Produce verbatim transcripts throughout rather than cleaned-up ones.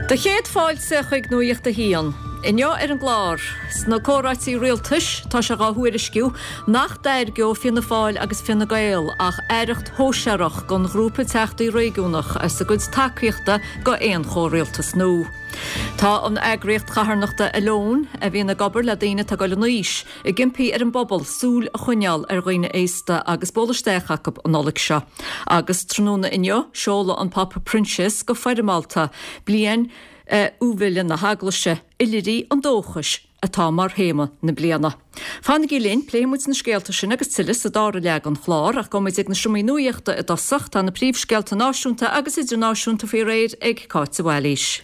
Do chéad fáilte chuig Nuacht a hAon. Inniu ar an gclár, sna comhráití rialtais tá sé á thuairisciú nach dtairgeoidh Fianna Fáil agus Fine Gael ach aireacht shóisearach don ghrúpa teachtaí réigiúnach as a gcuid tacaíochta go aon chomhrialtas nua. Tá an eagraíocht charthanachta Alone a bhíonn ag obair le daoine atá ag dul in aois, ag impí ar an bpobal súil a choinneáil ar dhaoine aosta agus bualadh isteach acu an Nollaig seo. Agus tráthnóna inniu seoladh an Pápa Proinsias go foirmeálta bliain Iúibile na hEaglaise Oilithrigh an Dóchais atá mar théama na bliana. Fanaigí linn pléifimid na scéalta sin agus tuilleadh sa dara leath den chlár ach gabhfaimid ag na seomraí nuachta i dtosach tá na príomhscéalta náisiúnta agus idirnáisiúnta faoi réir ag Cáit Bhailís.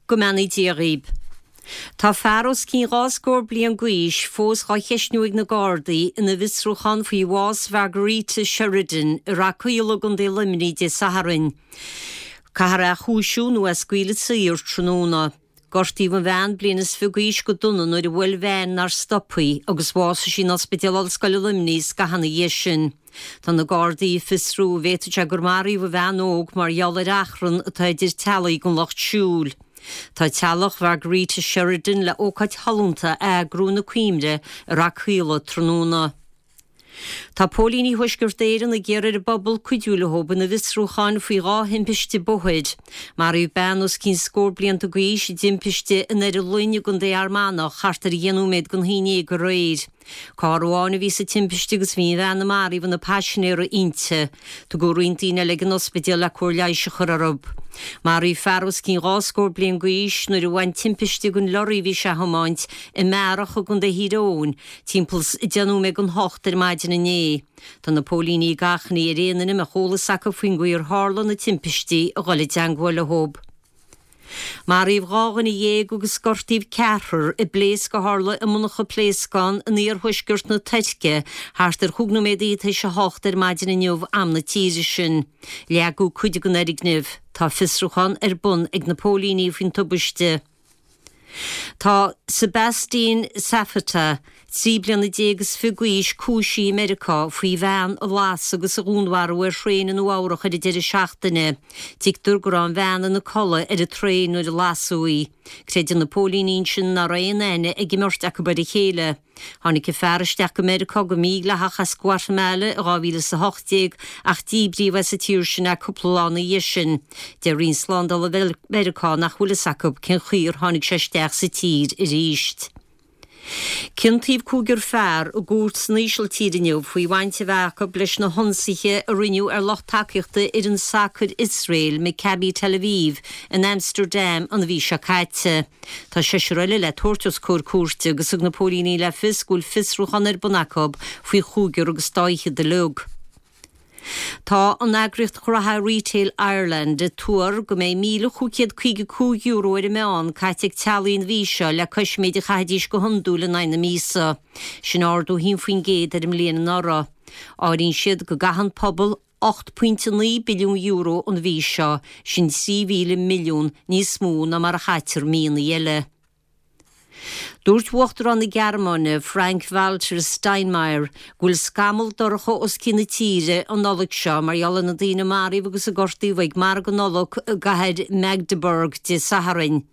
Go mbeannaí Dia dhaoibh. Tá fear os cionn dhá scór bliain d'aois fós á cheistniú ag na Gardaí ina bhfiosrúchán faoi bhás Mhargarita Sheridan i Rath Caola i gContae Luimnigh Dé Sathairn. Caithfear é a chúisiú nó é a scaoileadh saor tráthnóna. Gortaíodh an bhean bliain is fiche d'aois go dona nuair a bhuail veain nár stop í agus bhásaigh sí in Ospidéal Ollscoile Luimnigh scaitheamh ina dhiaidh sin. Tá na Gardaí ag fiosrú an bhféadfadh sé gur maraíodh an bhean óg mar gheall ar achrann atá idir teaghlaigh den lucht siúil. Tá teaghlach Mhargarita Sheridan le ócáid shollúnta a eagrú ina cuimhne i Rath Caola tráthnóna. Tá póilíní Thuaisceart Éireann ag iarraidh ar an bpobal cuidiú leo ina bhfiosrúcháin faoi dhá thimpiste bóthair. Maraíodh bean os cionn scór blianta d'aois i dtimpiste in Doire Fhloinn i gContae Fhear Manach thart ar dheich nóiméad don haon déag aréir. Carr amháin a bhí sa timpiste agus bhí an bhean a maraíodh ina paisinéir inti. Tugadh roinnt daoine eile ag an ospidéal le cóir leighis a chur orthu. Maraíodh fear os cionn dhá scór bliain d'aois nuair a bhain timpiste den leoraí a bhí sé a thiomáint i mBearach i gContae Thír Eoghain, timpeall deich nóiméad don hocht ar maidin inné. Tá na póilíní ag achainí ar aon duine a mbeadh eolas acu faoin gcaoi ar tharla na timpistí a dhul i dteagmháil leo. Maraíodh dhá dhuine dhéag agus gortaíodh ceathrar i bpléasc a tharla i monarcha pléascán in iarthuaisceart na Tuirce thart ar chúig nóiméad tar éis a hocht ar maidin inniu am na tíre sin. Leagadh cuid den fhoirgneamh. Tá fiosrúchán ar bun ag na póilíní faoin tubaiste. Tá Sebastian Safata, trí bliana déag is fiche d'aois cúisithe i Meiriceá faoi bhean a lasadh agus a dhúnmharú ar thraein i Nua Eabhrac ar an deireadh seachtaine. Tuigtear go raibh an bhean ina codladh ar an traein nuair a lasadh í. Creideann na póilíní ansin nach raibh aon aithne ag an mbeirt acu ar a chéile. Tháinig an fear isteach go Meiriceá go mídhleathach as Guatamala i dhá mhíle is a hocht déag ach díbríodh as an tír sin é cúpla lá ina dhiaidh sin. Deir Roinn Slándála Mheiriceá nach bhfuil fhios acu cén chaoi ar tháinig sé isteach sa tír arís. Ciontaíodh cúigear fear i gcúirt san Ísiltír inniu faoi bhaint a bheith acu leis na hionsaithe a rinneadh ar lucht tacaíochta fhoireann sacair Iosrael Maccabi Tel Aviv in Amsterdam an mhí seo caite. Tá seisear eile le tabhairt os comhair cúirte agus thug na póilíní le fios go bhfuil fiosrúchán ar bun acu faoi chúigear agus dá fhichead uilig. Tá an eagraíocht ghraithe Retail Ireland ag tuar go mbeidh míle cúig chéad caoga cúig euro ar an meán caite ag teaghlaigh an mhí seo le cois méid a chaithfidís go hiondúil in aghaidh na míosa. Sin ardú haon faoin gcéad ar an mbliain anuraidh. Áiríonn siad go gcaitheann pobal ocht pointe naoi billiún euro an mhí seo, sin trí mhíle milliún níos mó ná mar a chaitear míonna eile. Dúirt Uachtarán na Gearmáine Frank-Walter Steinmeier go bhfuil scamall dorcha os cionn na tíre an Nollaig seo mar gheall ar na daoine a maraíodh agus a gortaíodh ag margadh Nollag i gcathair Magdeburg Dé Sathairn.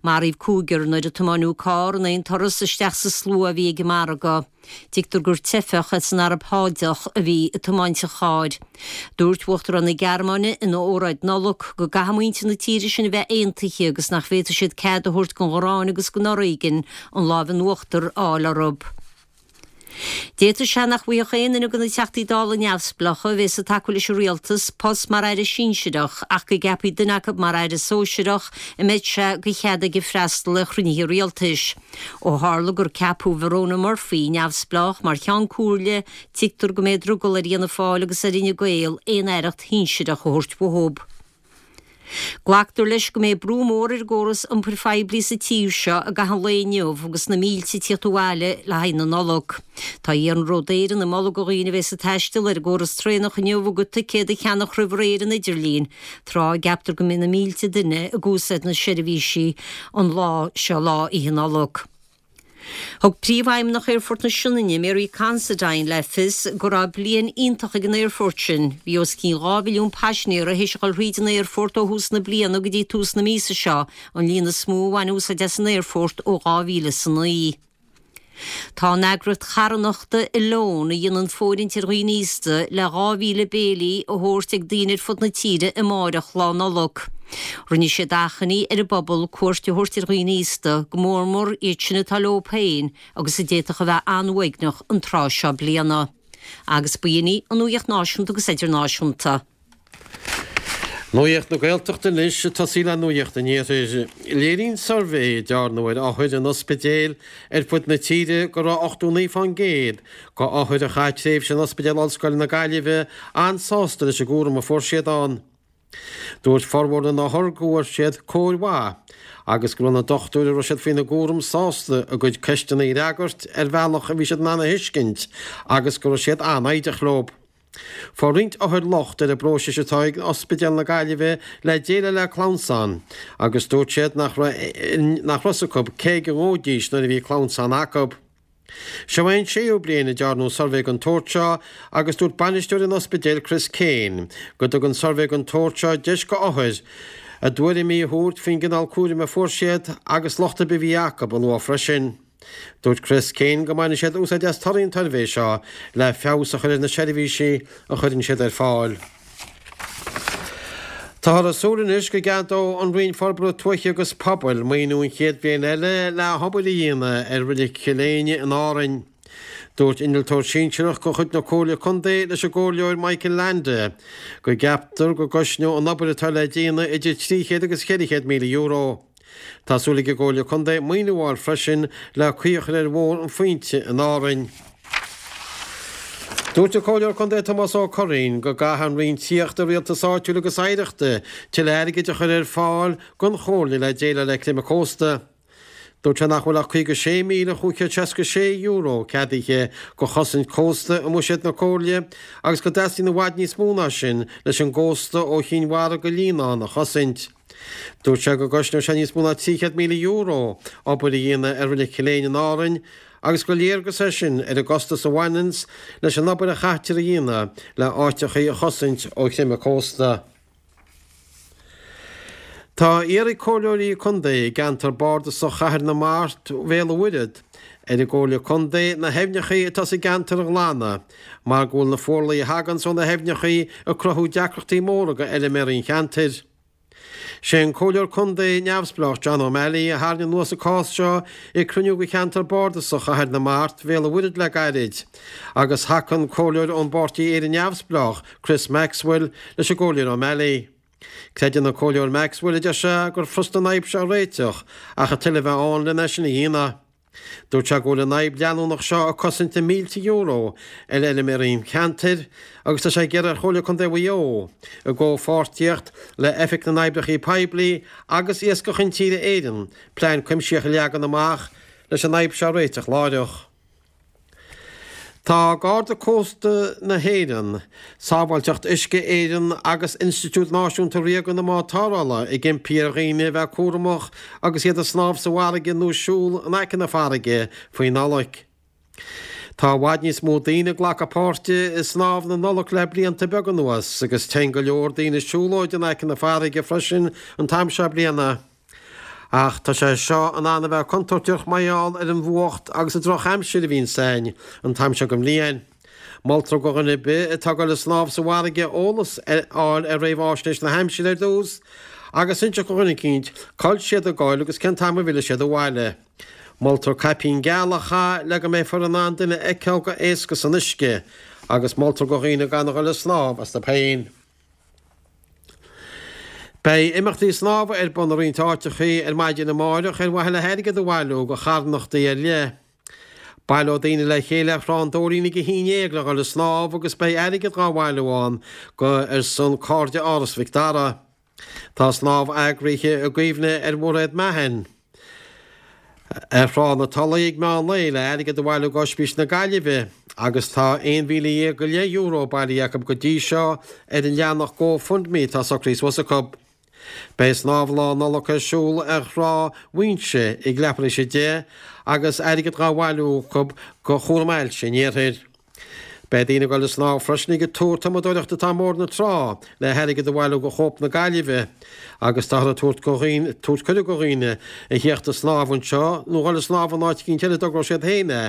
Maraíodh cúigear nuair a tiomáineadh carr in aon turas isteach sa slua a bhí ag an margadh. Tuigtear gur teifeach as an Araib Shádach a bhí ag tiomáint an chairr. Dúirt Uachtarán na Gearmáine ina óráid Nollag go gcaithfidh muintir na tíre sin a bheith aontaithe agus nach bhféadfaidh siad cead a thabhairt don ghráin agus don fhoréigean an lámh in uachtar a fháil orthu. D'fhéadfadh sé nach bhfaigheadh aon duine de na Teachtaí Dála neamhspleácha a bheas ag tacú leis an rialtas post mar aire sinsearach ach go gceapfaí duine acu mar aire sóisearach a mbeidh sé de chead aige freastal ar chruinnithe rialtais. Ó tharla gur ceapadh Verona Murphy neamhspleách mar cheann comhairle, tuigtear go mbeidh drogall ar Fhianna Fáil agus ar Fhine Gael aon aireacht shinsearach a thabhairt uathu. Glactar leis go mbeidh brú mór ar an gcóras iompair phoiblí sa tír seo i gcaitheamh an lae inniu agus na mílte ag tíocht abhaile le haghaidh na Nollag. Tá Iarnród Éireann ag moladh do dhaoine a bheas ag taisteal ar an gcóras traenach inniu a gcuid ticéad a cheannach roimh ré ar an idirlíon, tráth a gceaptar go mbeidh na mílte duine ag úsáid na seirbhísí an lá seo lá Oíche Nollag. Thug Príomhfheidhmeannach Aerfort na Sionainne Mary Considine le fios go raibh bliain iontach ag an aerfort sin, bhí os cionn dhá mhilliún paisinéir théis a dhul thríd an aerfort ó thús na bliana go dtí tús na míosa seo, an líon is mó a bhain úsáid as an aerfort ó dhá mhíle is a naoi. Tá an eagraíocht charthanachta Oileán a dhéanann fóirithint ar dhaoine aosta le dhá mhíle béilí a thabhairt ag daoine ar fud na tíre amáireach Lá Nollag. Rinne siad achainí ar an bpobal cuairt a thabhairt ar dhaoine aosta, go mór mór iad sin atá leo féin agus a d'fhéadfadh a bheith an-uaigneach an tráth seo bliana. Agus b'in í an nuacht náisiúnta agus idirnáisiúnta. Nuacht na Gaeltachta anois, ag tosaí le Nuacht an Iarthair. Léiríonn suirbhé a dearnadh ar othair in ospidéil ar fud na tíre go raibh ochtó naoi fán gcéad de othair a chaith tréimhse in Ospidéal Ollscoile na Gaillimhe an-sásta leis an gcúram a fuair siad ann. Dúirt formhór na n-othar go bhfuair siad cóir mhaith agus go raibh na dochtúirí a raibh siad faoina gcúram sásta a gcuid ceisteanna a fhreagairt ar bhealach a bhí siad in ann a thuiscint agus go raibh siad an-fhoighdeach leo. Fuair roinnt othar locht ar an bpróiseas atá ag Ospidéal na Gaillimhe le déileáil le clamhsán agus dúirt siad nach raibh nach raibh a fhios acu cé go ngabhaidís nuair a bhí clamhsán acu. Seo é an séú bliain a dearnadh suirbhé den tsórt seo agus dúirt bainisteoir an ospidéil Chris Kane go dtugann suirbhé den tsórt seo deis go othair a dtuairimí a thabhairt faoin gcineál cúraim a fuair siad agus locht ar bith a bhí acu a lua freisin. Dúirt Chris Kane go mbainfidh siad úsáid as torthaí an tsuirbhé seo le feabhas a chur ar na seirbhísí a chuireann siad ar fáil. Táthar ag súil anois go gceadóidh an Roinn Forbartha Tuaithe agus Pobail maoiniú an chéad bhliain eile le hobair a dhéanamh ar Reilig Chill Éinne in Árainn. Dúirt innealtóir sinsearach de chuid na Comhairle Contae leis an gComhairleoir Michael Leainde go gceaptar go gcosnóidh an obair atá le déanamh idir trí chéad agus ceithre chéad míle euro. Tá súil ag an gComhairle Contae maoiniú a fháil freisin le caoi a chur ar Bhóthar an Phointe in Árainn. Dúirt an Comhairleoir Contae Tomás Ó Curraoin go gcaithfidh an Roinn Tithíochta, Rialtais Áitiúil agus Oidhreachta tuilleadh airgid a chur ar fáil don Chomhairle le déileáil le creimeadh cósta. Dúirt sé nach bhfuil ach caoga sé míle chúig chéad seasca sé euro ceadaithe do chosaint cósta i mbuiséad na Comhairle agus go dteastaíonn i bhfad níos mó ná sin leis an gcósta ó Chinn Mhara go Líonán a chosaint. Dúirt sé go gcosnóidh sé níos mó ná trí chéad míle euro obair a dhéanamh ar Reilig Chill Éinne in Árainn agus gur léargas é sin ar an gcostas a bhaineanns leis an obair a chaitear a dhéanamh le áiteachaí a chosaint ó chreimeadh cósta. Tá iarrtha ag comhairleoirí contae i gceantar bardasach Chathair na Mart, Bhéal an Mhuirthead, ar an gComhairle Contae na haibhneachaí atá sa gceantar a ghlanadh mar go bhfuil na fuarlaigh a thaganns ó na haibhneachaí ag cruthú deacrachtaí móra go fheilméaraí an cheantair. Sé an Comhairleoir Contae neamhspleách John O'Malley a tharraing anuas an cás seo ag cruinniú de cheantar bardasach Chathair na Mart, Bhéal an Mhuirthead le gairid agus thacaigh an Comhairleoir ón bPáirtí Éire Neamhspleách, Chris Maxwell, leis an gComhairleoir O'Malley. Creideann an Comhairleoir Maxwell, a deir sé, gur furasta an fhadhb seo a réiteach ach an toil a bheith ann lena sin a dhéanamh. Dúirt sé go bhfuil an fhadhb leanúnach seo ag cosaint na mílte euro ar fheilméaraí an cheantair agus tá sé ag iarraidh ar Chomhairle Contae Mhaigh Eo, i gcomhpháirtíocht le Oifig na nOibreacha Poiblí agus Iascach Intíre Éireann, plean cuimsitheach a leagan amach leis an fhadhb seo a réiteach láithreach. Tá Garda Cósta na hÉireann, Sábháilteacht Uisce Éireann agus Institiúid Náisiúnta Ríoga na mBád Tarrthála ag impí ar dhaoine a bheith cúramach agus iad ag snámh sa bhfarraige nó ag siúl in aice na farraige faoi Nollaig. Tá i bhfad níos mó daoine ag glacadh páirte i snámh na Nollag le blianta beaga anuas agus téann go leor daoine siúlóid in aice na farraige freisin an t-am seo bliana. Ach tá sé seo in ann a bheith contúirteach mar gheall ar an bhfuacht agus an drochaimsir a bhíonns ann an t-am seo den bhliain. Moltar do dhuine ar bith atá ag dul ag snámh sa bhfarraige eolas a fháil ar réamháisnéis na haimsire ar dtús agus inseacht do dhuine eicínt cá bhfuil siad ag goil agus cén t-am a bhfillfidh siad abhaile. Moltar caipín geal a chaitheamh le go mbeifear in ann duine a fheiceáil go héasca san uisce agus moltar do dhaoine gan a dhul ag snámh astu féin. Beidh imeachtaí snámha ar bun i roinnt áiteachaí ar maidin amáireach ar mhaithe le hairgead a bhailiú do charthanachtaí ar leith. Baileoidh daoine le chéile ar Thrá an Dóirín ag a haon déag le dhul ag snámh agus beidh airgead dhá bhailiú ann go ar son Cairde Áras Mhic Dara. Tá snámh eagraithe i gcuimhne ar Mhairéad Mahon. Ar Thrá na Tulaí ag meán lae le airgead a bhailiú d'Oispís na Gaillimhe agus tá aon mhíle dhéag go leith euro bailithe acu go dtí seo ar an leathanach GoFundMe atá socraithe suas acu. Beidh snámh Lá Nollag ar siúl ar Thrá Mhuinseo ag leathuair tar éis a deich agus airgead dhá bhailiú acu go Chúram Ailse an Iarthair. Beidh daoine ag dul ag snámh freisin ag an túr tumadóireachta atá i mBord na Trá le hairgead a bhailiú go Chóip na Gaillimhe agus táthar ag tabhairt go dhaoine tabhairt cuireadh go dhaoine a theacht ag snámh anseo nó dhul ag snámh in áit eicínt eile a dtogróidh siad féin é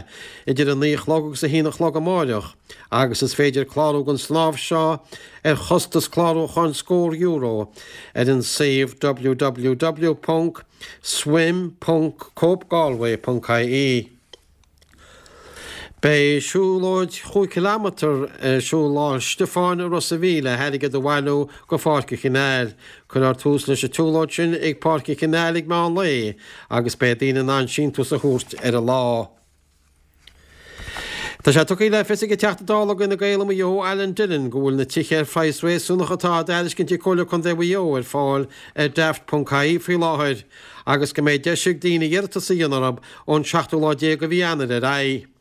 idir a naoi a chlog agus a haon a chlog amáireach agus is féidir clárú don snámh seo ar chostas clárúcháin scór euro ar an suíomh www ponc swim ponc copegalway ponc ie. Beidh siúlóid chúig chileamatar ar siúl Lá Stiofáin i Ros a' Mhíl le hairgead a bhailiú go Pháirc an Chanáil. Cuirfear tús leis an tsiúlóid sin ag Páirc an Chanáil ag meán lae agus beidh daoine in ann síntiús a thabhairt ar an lá. Tá sé tugtha le fios ag an Teachta Dála do Fhine Gael i Maigh Eo, Alan Dillon, go bhfuil na tithe ar phraghas réasúnach atá á dtairiscint ag Comhairle Contae Mhaigh Eo ar fáil ar Daft.ie faoi láthair agus go mbeidh deis ag daoine iarratas a dhéanamh orthu ón seachtú lá déag de mhí Eanáir ar aghaidh.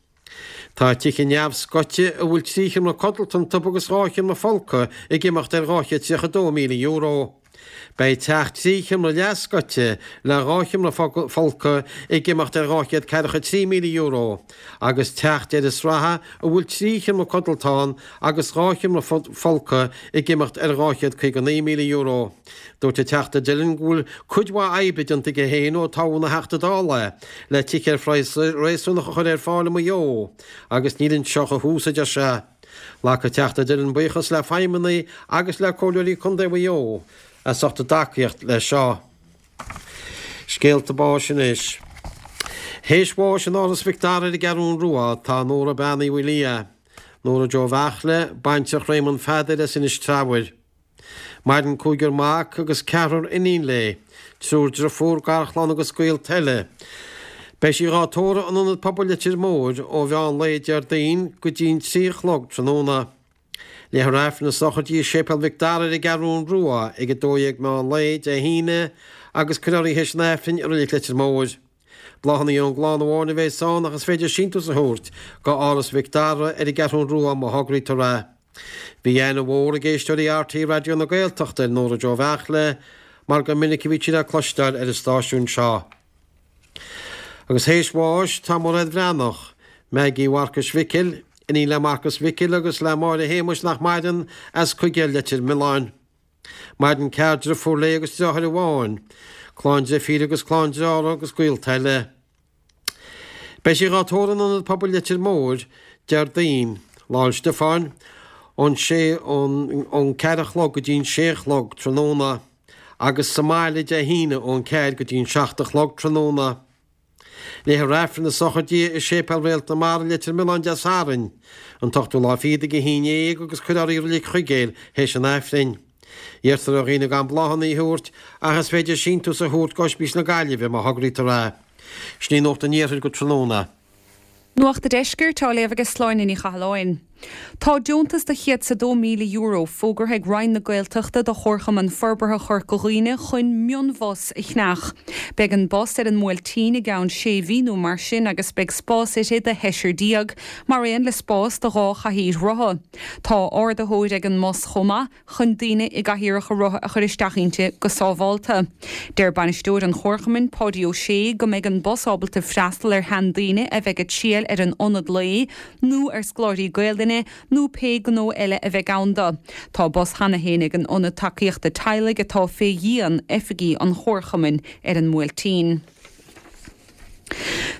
Tá tithe neamhscoite a bhfuil trí sheomra codlata iontu agus dhá sheomra folctha ag imeacht ar dhá chéad tríocha dó míle euro. Beidh teach trí sheomra leathscoite le dhá sheomra folctha ag imeacht ar dhá chéad ceathracha trí míle euro agus teach deireadh sraithe a bhfuil trí sheomra codlata ann agus dhá sheomra folctha ag imeacht ar dhá chéad caoga naoi míle euro. Dúirt an Teachta Dillon go bhfuil cuid mhaith oibre déanta aige féin ó toghadh ina Theachta Dála é le tithe ar phraghas réasúnach a chur ar fáil i Maigh Eo agus níl anseo ach an tús, a deir sé. Ghlac an Teachta Dillon buíochas le feidhmeannaigh agus le Comhairleoirí Contae Mhaigh Eo as ucht a dtacaíocht leis seo. Scéalta báis anois. Théis bháis in Áras Mhic Dara ar an gCeathrún Rua tá Nóra Bean Uí Mhaoildhia, Nóra Joe Bheartla, baintreach Réamonn Pheadair as Inis Treabhair. Maireann cúigear mac agus ceathrar iníon léi, triúr driofúr, garchlann agus gaolta eile. Beidh sí dhá tórramh in Ionad Pobail Leitir Móir ó mheán lae Déardaoin go dtí'n trí a chlog tráthnóna. Léifear Aifreann na sochraide i Séipéal Mhic Dara ar an gCeathrún Rua ag a dó dhéag meán lae Dé hAoine agus cuirfear í théis an Aifrinn i Reilig Leitir Móir. Bláthanna ón gclann amháin a bheas ann ach is féidir síntiús a thabhairt go Áras Mhic Dara ar an gCeathrún Rua má thograítear é. Bhí aithne mhór ag éisteoirí RTÉ Raidió na Gaeltachta ar Nóra Joe Bheartla mar gur minic a bhí sí le cloisteáil ar an stáisiún seo. Agus théis bháis tá Mairéad Bhreathnach, Maggie Mharcais Mhicil, iníon le Marcas Mhicil agus le Máire Shéamuis nach maireann, as Cuigéal Leitir Mealláin. Maireann ceathrar driofúr léi agus deartháir amháin, clann deirfíre agus clann dearthára agus gaolta eile. Beidh sí dhá tórramh in Ionad Pobail Leitir Móir, Déardaoin, Lá 'le Stiofáin, ón sé ón ón ceathair a chlog go dtí'n sé a chlog tráthnóna, agus sa mbaile Dé hAoine ón ceathair go dtí'n seacht a chlog tráthnóna. Léifear Aifreann na sochraide i Séipéal Réalt na Mara, Leitir Mealláin Dé Sathairn, an t-ochtú lá fichead ag a haon dhéag agus cuirfear í i Reilig Chuigéil théis an Aifrinn. Iarrtar ar dhaoine gan bláthanna a thabhairt ach is féidir síntiús a thabhairt go Ospís na Gaillimhe má thograítear é. Sin í Nuacht an Iarthair go tráthnóna. Nuacht an Deiscirt á léamh ag Sláine Ní Chathalláin. Tá deontas de chéad 's a dó míle euro fógartha ag Roinn na Gaeltachta do Chomharchumann Forbartha Chorca Dhuibhne chun mionbhus a cheannach. Beidh an bus ar an mBuailtín i gceann sé mhí nó mar sin agus beidh spás inti do sheisear déag, mar aon le spás do dhá chathaoir rotha. Tá ardaitheoir ag an mbus chomh maith chun daoine i gcathaoireacha rotha a chur isteach inti go sábhálta. Deir bainisteoir an Chomharchumainn, Páidí Ó Sé, go mbeidh an bus ábalta freastal ar sheandaoine a bheidh ag triall ar an ionad lae nó ar scoláirí Gaelainne nó pé gnó eile a bheidh ann dó. Tá bus cheana féin ag an Ionad Tacaíochta Teaghlaigh atá fé dhíon oifigí an Chomharchumainn ar an mBuailtín.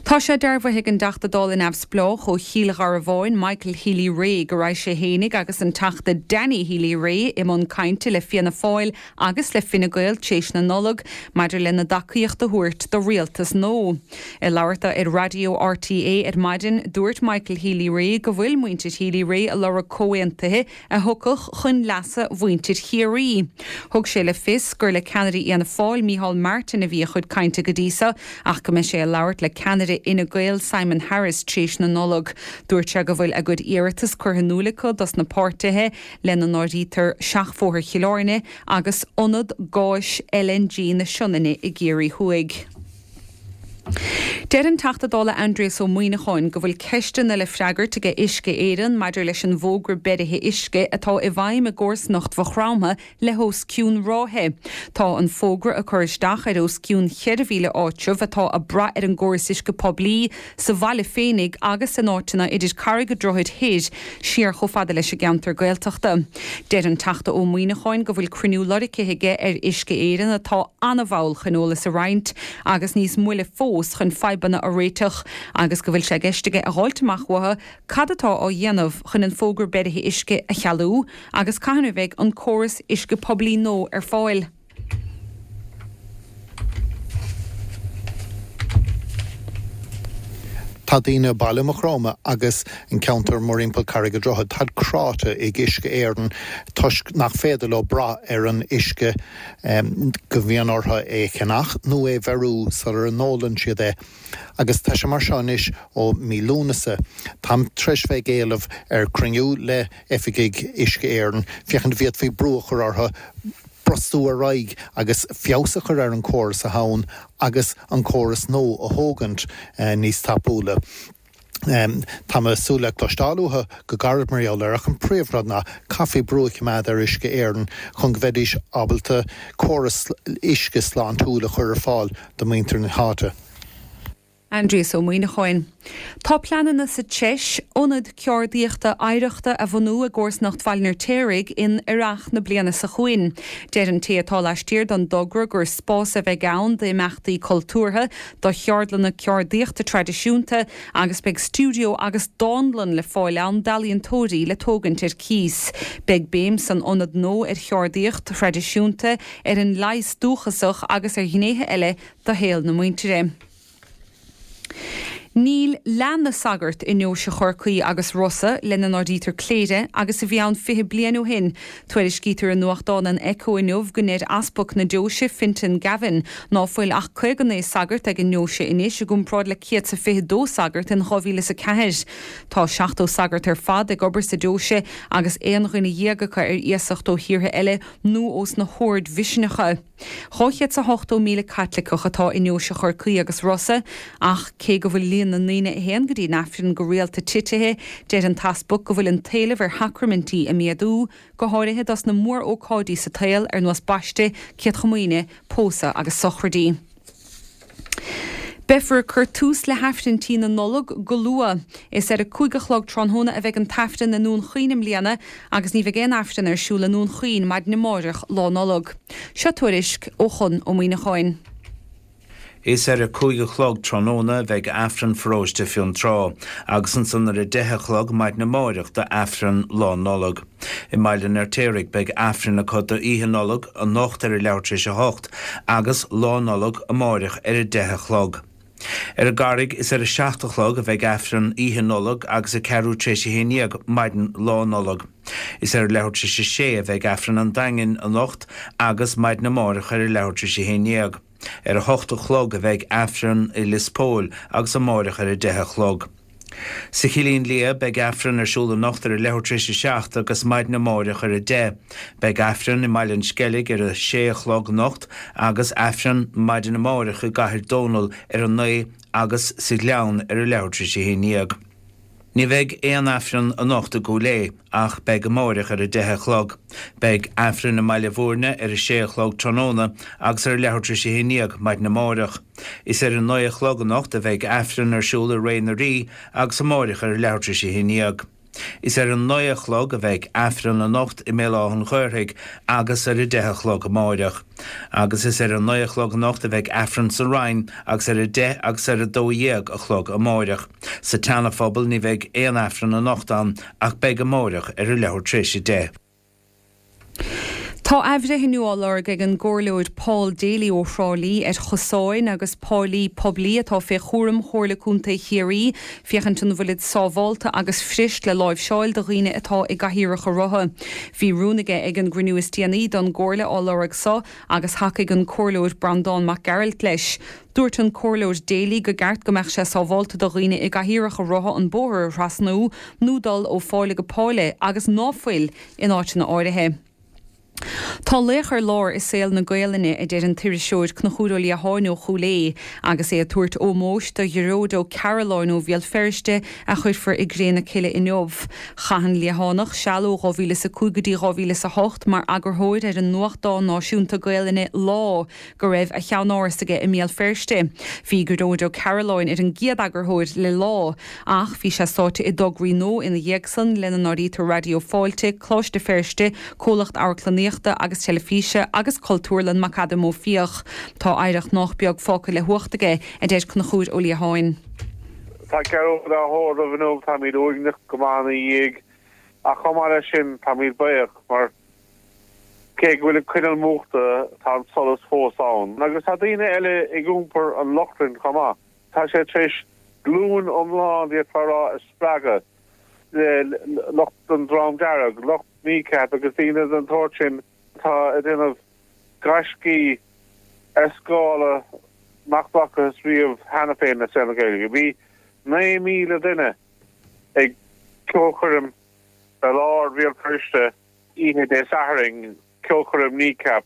Tá sé dearbhaithe ag an dTeachta Dála neamhspleách ó Chill Gharbháin, Michael Healy-Rae, go raibh sé fhéinig agus an Teachta Danny Healy-Rae i mbun cainte le Fianna Fáil agus le Fine Gael tréis na Nollag maidir lena dtacaíocht a thabhairt do rialtas nua. Ag labhairt dó ar raidió RTÉ ar maidin, dúirt Michael Healy-Rae go bhfuil muintir Healy-Rae ag lorg comhaontuithe a thiocfadh chun leasa mhuintir Chiarraí. Thug sé le fios gur le ceannaire Fhianna Fáil, Micheál Martin, a bhí a chuid cainte go dtí seo ach go mbeidh sé ag labhairt le ceannaire Fhine Gael Simon Harris tréis na Nollag. Dúirt sé go bhfuil a gcuid iarratas curtha in iúl acu dos na páirtithe, lena n-áirítear Seachbhóthar Chill Airne agus Ionad Gáis LNG na Sionainne i gCiarraí Thuaidh. Deir an Teachta Dála Aindrias Ó Muimhneacháin go bhfuil ceisteanna le freagairt aige Uisce Éireann maidir leis an bhfógra beirithe uisce atá i bhfeidhm i gcomharsanacht Mhaigh Chromtha le hos cionn ráithe. Tá an fógra ag cur isteach ar os cionn cheithre mhíle áitreabh atá ag brath ar an gcóras uisce poiblí sa bhaile féinig agus in áiteanna idir Carraig an Droichid Thoir siar chomh fada leis an gceantar Gaeltachta. Deir an Teachta Ó Muimhneacháin go bhfuil cruinniú lorgtha aige ar Uisce Éireann atá an-mhall chun eolas a roinnt agus níos moille fós chun fadhbanna a réiteach agus go bhfuil sé i gceist aige a dh'fháilt amach uathu cad atá á dhéanamh chun an fógra beirithe uisce a chealú agus cathain a bheidh an córas uisce poiblí nua ar fáil. Tá daoine i baile Maigh Chromtha agus an ceantar mórthimpeall Carraig an Droichid, táid cráite ag Uisce Éireann toisc nach féidir leo brath ar an uisce go mbíonn orthu é a cheannach nó é bheiriú sular n-ólann siad é. Agus tá sé mar seo anois ó mí Lúnasa. Táim tar éis bheith ag éileamh ar cruinniú le oifigigh Uisce Éireann féachaint an bhféadfaí brú a chur orthu brostú ar aghaidh agus feabhas a chur ar an córas atá ann agus an córas nua a thógaint níos tapúla. Tá mé ag súil le cloisteáil uathu go gairid mar gheall air ach an príomhrud ná caithfí brú a choimeád ar Uisce Éireann chun go mbeidís ábalta córas uisce sláintiúil a chur ar fáil do mhuintir na háite. Aindrias Ó Muimhneacháin. Tá pleananna sa treis ionad ceardaíochta oidhreachta a bhunú i gcomharsanacht Bhaile an Fheirtéaraigh in earrach na bliana seo chugainn. Deir an té atá laistiar den dtogra gur spás a bheidh ann d'imeachtaí cultúrtha, do cheardlanna ceardaíochta traidisiúnta agus beidh stiúideo agus dánlann le fáil ann d'ealaíontóirí le tógaint ar cíos. Beidh béim san ionad nua ar cheardaíocht thraidisiúnta, ar an leigheas dúchasach agus ar ghnéithe eile de shaol na muintire. Níl leath na sagart i nDeoise Chorcaí agus Rossa, lena n-áirítear Cléire, agus a bhí ann fiche bliain ó shin. Tuairiscítear i nuachtán an Echo inniu go ndeir Easpag na Deoise, Fintan Gavin, ná fuil ach caoga naoi sagart ag an ndeoise anois i gcomparáid le céad 's a fiche dó sagart in dhá mhíle is a ceathair. Tá seachtó sagart ar fad ag obair sa deoise agus aon dhuine dhéag acu ar iasacht ó thíortha eile nó ós na hoird mhiseanacha. Dhá chéad 's a hochtó míle Caitliceach atá i nDeoise Chorcaí agus Rossa, ach cé go bhfuil líon na ndaoine a théann go dtí an Aifreann go rialta titithe, deir an t-easpag go bhfuil an t-éileamh ar shacraimintí ag méadú, go háirithe dos na mór-ócáidí sa tsaol ar nós baiste, Céad Chomaoine, pósadh agus sochraidí. Beifear ag cur tús le hAifrinntí na Nollag go luath. Is ar a cúig a chlog tráthnóna a bheidh an tAifreann i nDún Chaoin i mbliana agus ní bheidh aon Aifreann ar siúl i nDún Chaoin maidin amáireach, Lá Nollag. Seo tuairisc ó Chonn Ó Muíneacháin. Is ar a cúig a chlog tráthnóna a bheidh Aifreann Pharóiste Fionntrá agus ansan ar a deich a chlog maidin amáireach do Aifreann Lá Nollag. I mBaile an Fheirtéaraigh beidh Aifreann acu do Oíche Nollag anocht ar a leathuair tar éis a hocht agus Lá Nollag amáireach ar a deich a chlog. Ar an gCarraig is ar a seacht a chlog a bheidh Aifreann Oíche Nollag agus a ceathrú tar éis a haon dhéag maidin Lá Nollag. Is ar a leathuair tar éis a sé a bheidh Aifreann an Daingin anocht agus maidin amáireach ar a leathuair tar éis a haon dhéag. Ar a hocht a chlog a bheidh Aifreann i Lios Póil agus amáireach ar a deich a chlog. Sa Chillín Liath beidh Aifreann ar siúl anocht ar a leathuair tar éis a seacht agus maidin amáireach ar a deich. Beidh Aifreann i mBaile an Sceilg ar a sé a chlog anocht agus Aifreann maidin amáireach i gCathair Dónall ar a naoi agus sa Ghleann ar a leathuair tar éis a haon dhéag. Ní bheidh aon Aifreann anocht i gCúil Aodha, ach beidh amáireach ar a deich a chlog. Beidh Aifreann i mBaile Bhúirne ar a sé a chlog tráthnóna agus ar a leathuair tar éis a haon dhéag maidin amáireach. Is ar a naoi a chlog anocht a bheidh Aifreann ar siúl i Ré na Rí agus amáireach ar a leathuair tar éis a haon dhéag. Is ar a naoi a chlog a bheidh Aifreann anocht i mBéal Átha an Ghaorthaidh agus ar a deich a chlog amáireach. Agus is ar a naoi a chlog anocht a bheidh Aifreann sa Rinn agus ar a deich agus ar a dó dhéag a chlog amáireach. Sa tSeana-Phobal ní bheidh aon Aifreann anocht ann ach beidh amáireach ar a leathuair tar éis a deich. Tá athbhreithniú á lorg ag an gComhairleoir Paul Daly ó Thrá Lí ar chosáin agus páilí poiblí atá fé chúram Chomhairle Contae Chiarraí féachaint an bhfuilid sábhálta agus fuirist le láimhseáil do dhaoine atá i gcathaoireacha rotha. Bhí rún aige ag an gcruinniú is déanaí don gComhairle á lorg so agus thacaigh an Comhairleoir Breandán Mac Gearailt leis. Dúirt an Comhairleoir Daly go gceart go mbeadh sé sábhálta do dhaoine i gcathaoireacha rotha an bóthar a thrasnú nó dul ó pháile go páile agus ná fuil in áiteanna áirithe. Tá laoch ar lár i saol na Gaelainne, a deir an t-iriseoir Conchúr Ó Liatháin ó Chúil Aodha, agus é ag tabhairt ómóis do Ghearóid Ó Cairealláin ó Bhéal Feirste a chuirfear i gcré na cille inniu. Chaith an Liathánach seal ó dhá mhíle is a cúig go dtí dhá mhíle is a hocht mar eagarthóir ar an nuachtán náisiúnta Gaelainne Lá, go raibh a cheannáras aige i mBéal Feirste. Bhí Gearóid Ó Cairealláin ar an gcéad eagarthóir le Lá, ach bhí sé sáite i dtograí nua ina dhiaidh san, lena n-áirítear Raidió Fáilte, Coláiste Feirste, Comhlacht Amharclannaíochta agus Teilifíse agus Cultúrlann McAdam Ó Fiaich. Tá oidhreacht nách beag fágtha le huacht aige, a deir Conchúr Ó Liatháin. Tá Gearóid á thórramh inniu, táimid uaigneach go maith ina dhiaidh ach chomh maith leis sin táimid buíoch mar cé go bhfuil an coinneal múchta tá an solas fós ann. Agus tá daoine eile ag iompar an lochlainn chomh maith. Tá sé tar éis glúin iomlán d'fhéadfá a rá a spreagadh le lucht an Dream Dearg, lucht Kneecap agus daoine den tsórt sin atá ag déanamh gaiscí ar scála nach bhfacthas riamh cheana féin i saol na Gaeilge. Bhí naoi míle duine ag ceolchoirm i lár Bhéal Feirste oíche Dé Sathairn, ceolchoirm Kneecap.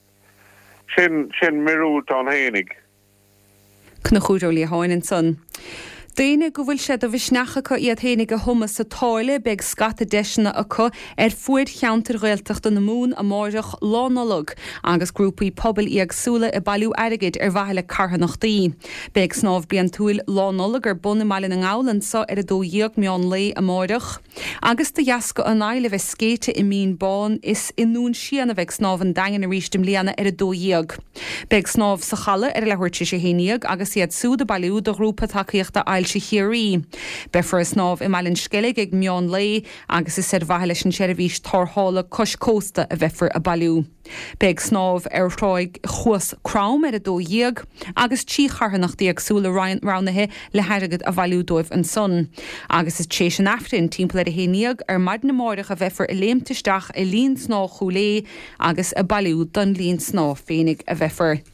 Sin, sin míorúilt ann fhéinig. Conchúr Ó Liatháin ansan. Daoine go bhfuil sé de mhisneach acu iad fhéinig a thumadh sa tsáile, beidh scata deiseanna acu ar fuaid cheantair Ghaeltachta na Mumhan amáireach, Lá Nollag, agus grúpaí pobail éagsúla ag bailiú airgid ar mhaithe le carthanachtaí. Beidh snámh bliantúil Lá Nollag ar bun i mBaile na nGall anso ar a dó dhéag meán lae amáireach. Agus de dheasca an aidhll a bheith scéite i Mín Bán, is i nDún Síon a bheidh Snámh an Daingin arís i mbliana ar a dó dhéag. Beidh snámh sa Chaladh ar a leathuair tar éis a haon dhéag agus iad súd ag bailiú do Ghrúpa Tacaíochta Ailse Chiarraí. Beifear ag snámh i mBaile an Sceilg ag meán lae agus is ar mhaithe leis an tseirbhís tarrthála cois cósta a bheifear ag bailiú. Beidh snámh ar thráigh Chuas Crom ar a dó dhéag agus trí charthanacht éagsúla roghnaithe le hairgead a bhailiú dóibh ansan. Agus is tar éis an Aifrinn, timpeall ar a haon dhéag ar maidin amáireach a bheifear ag léimt isteach i linn snámha Chúil Aodha agus ag bailiú don linn snámha féinig a bheifear.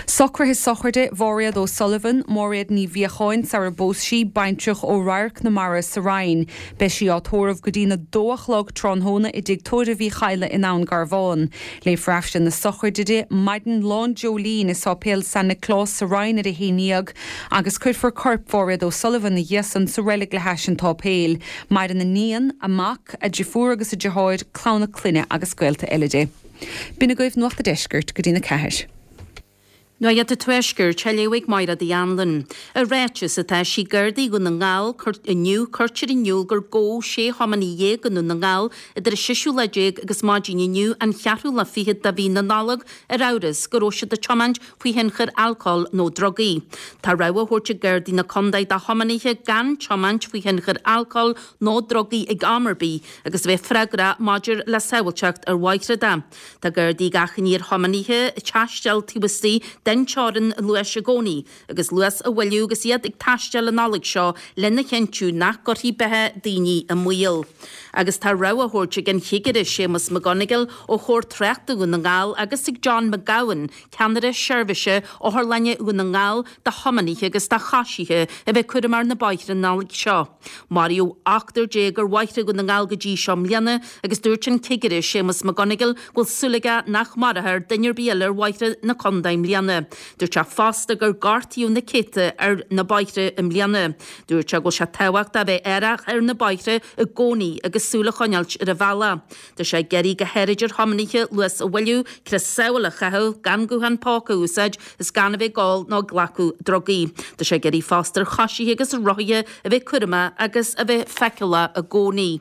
Socruithe sochraide Mháiréad O'Sullivan, Máiréad Ní Mhíocháin sara bpós sí, baintreach ó Radharc na Mara sa Rinn. Beidh sí á tórramh go dtína dó a chlog tráthnóna i dTigh Tórraimh Uí Chadhla i nDún Garbhán. Léifear Aifreann na sochraide di maidin Lá an Dreoilín i Sáipéal San Nioclás sa Rinn ar a haon dhéag agus cuirfear corp Mháiréad O'Sullivan ina dhiaidh san sa reilig le hais an tsáipéil. Maireann a níon, a mac, a deirfiúr agus a deartháir, clann a clainne agus gaolta eile di. B'in agaibh Nuacht a' Deiscirt go dtína ceathair. Nuacht an Tuaiscirt, á léamh ag Máire Uí Anluain. I ráiteas atá eisithe ag Gardaí Dhún na nGall inniu, cuirtear in iúl gur gabhadh sé thiománaí dhéag i nDún na nGall idir an seisiú lá déag agus maidin inniu an cheathrú lá fichead de mhí na Nollag ar amhras go raibh siad ag tiomáint faoi thionchar alcóil nó drugaí. Tá rabhadh á thabhairt ag Gardaí na contae do thiománaithe gan tiomáint faoi thionchar alcóil nó drugaí ag am ar bith agus a bheith freagrach maidir le sábháilteacht ar bhóithre de. Tá Gardaí ag achainí ar thiománaithe taisteal taobh istigh den teorainn luais i gcónaí agus luas a mhoilliú agus iad ag taisteal an Nollaig seo lena chinntiú nach gcuirfí beatha daoine i mbaol. Agus tá rabhadh á thabhairt ag an Chigire Séamus McGonigle ó Chór Tráchta Dhún na nGall agus ag John McGowan, Ceannaire Seirbhíse Otharlainne Dhún na nGall do thiománaithe agus do choisithe a bheith cúramach ar na bóithre an Nollaig seo. Maraíodh ochtar déag ar bhóithre Dhún na nGall go dtí seo i mbliana agus dúirt an Cigire Séamus McGonigle go bhfuil súil aige nach marófar duine ar bith eile ar bhóithre na contae i mbliana. Dúirt sé fosta gur gortaíodh na céadta ar na bóithre i mbliana. Dúirt sé go bhfuil sé tábhachtach a bheith aireach ar na bóithre i gcónaí agus súil a choinneáilt ar an bhealach. Tá sé ag iarraidh go háirid ar thiománaithe luas a mhoilliú, crios sábhála a chaitheamh, gan guthán póca a úsáid is gan a bheith ag ól nó ag glacadh drugaí. Tá sé ag iarraidh fosta ar choisithe agus rothaithe a bheith cúramach agus a bheith feiceálach i gcónaí.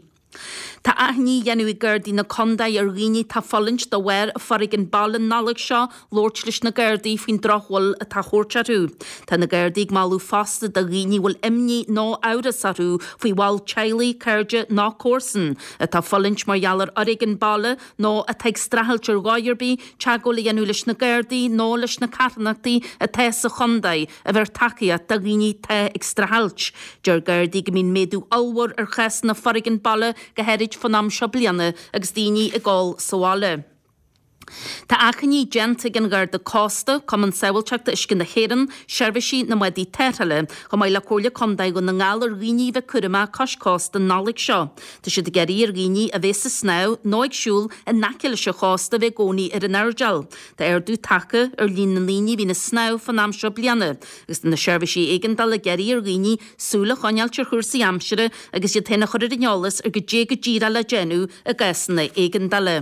Tá achainí á dhéanamh ag Gardaí na Condae ar dhaoine atá ag fulaingt de bharr foréigean baile an Nollaig seo labhairt leis na Gardaí faoin drochbhail atá á thabhairt orthu. Tá na Gardaí ag moladh fosta do dhaoine a bhfuil imní nó amhras orthu faoi bhall teaghlaigh, cairde nó comharsan atá ag fulaingt mar gheall ar fhoréigean baile nó atá ag streachailt ar dhóigh ar bith teagmháil a dhéanamh leis na Gardaí nó leis na carthanachtaí atá sa chondae a bheir tacaíocht do dhaoine atá ag streachailt. Deir Gardaí go mbíonn méadú ollmhór ar chásanna foréigean baile go háirid fán am seo bliana agus daoine ag ól sa bhaile. Tá achainí déanta ag an Gharda Cósta, Cumann Sábháilteachta Uisce na hÉireann, Seirbhísí na mBádaí Tarrthála, chomh maith le Comhairle Contae Dhún na nGall ar dhaoine a bheith cúramach cois cósta an Nollaig seo. Tá siad ag iarraidh ar dhaoine a bheas ag snámh nó ag siúl in aice leis an chósta a bheith i gcónaí ar an airdeall. Tá ardú tagtha ar líon na ndaoine a bhíonn ag snámh fán am seo bliana, agus tá na seirbhísí éigeandála ag iarraidh ar dhaoine súil a choinneáilt ar chúrsaí aimsire agus iad féin a chur ar an eolas ar goidé go díreach le déanamh i gcásanna éigeandála.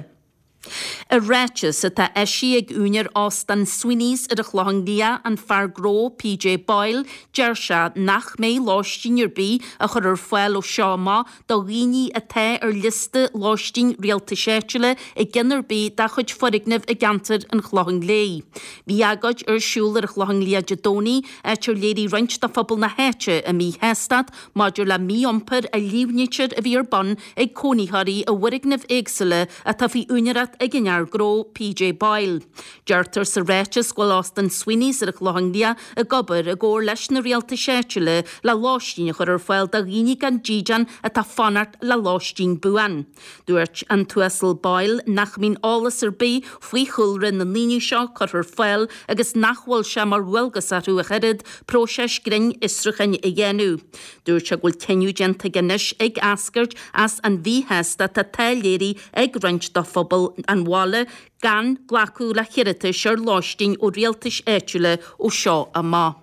I ráiteas atá eisithe ag úinéir Óstán Sweeney's ar an Chlochán Liath, an fear gnó PJ Boyle, deir sé nach mbeidh lóistín ar bith á chur ar fáil ó seo amach do dhaoine atá ar liosta lóistín rialtais áitiúla i gceann ar bith dá chuid foirgneamh i gceantar an Chlocháin Léith. Bhí agóid ar siúl ar an Chlochán Liath Dé Domhnaigh, áit ar léirigh roinnt de phobal na háite a míshástacht maidir le mí-iompar a líomhnaítear a bhí ar bun ag cónaitheoirí i bhfoirgnimh éagsúla atá faoi úinéireacht ag an fhear gnó PJ Boyle. Deirtear sa ráiteas go bhfuil Óstán Sweeney's ar an Chlochán Liath ag obair i gcomhar leis na rialtais áitiúla le lóistín a chur ar fáil do dhaoine gan dídean atá ag fanacht le lóistín buan. Dúirt an tUasal Boyle nach mbíonn eolas ar bith faoi chúlra na ndaoine seo curtha ar fáil agus nach bhfuil sé mar dhualgas orthu ach oiread próiseas grinn fhiosrúcháin a dhéanamh. Dúirt sé go bhfuil cinneadh déanta aige anois ag eascairt as an mhíshástacht atá léirithe ag roinnt de phobal an bhaile gan glacadh le hiarratais ar lóistín ó rialtais áitiúla ó seo amach.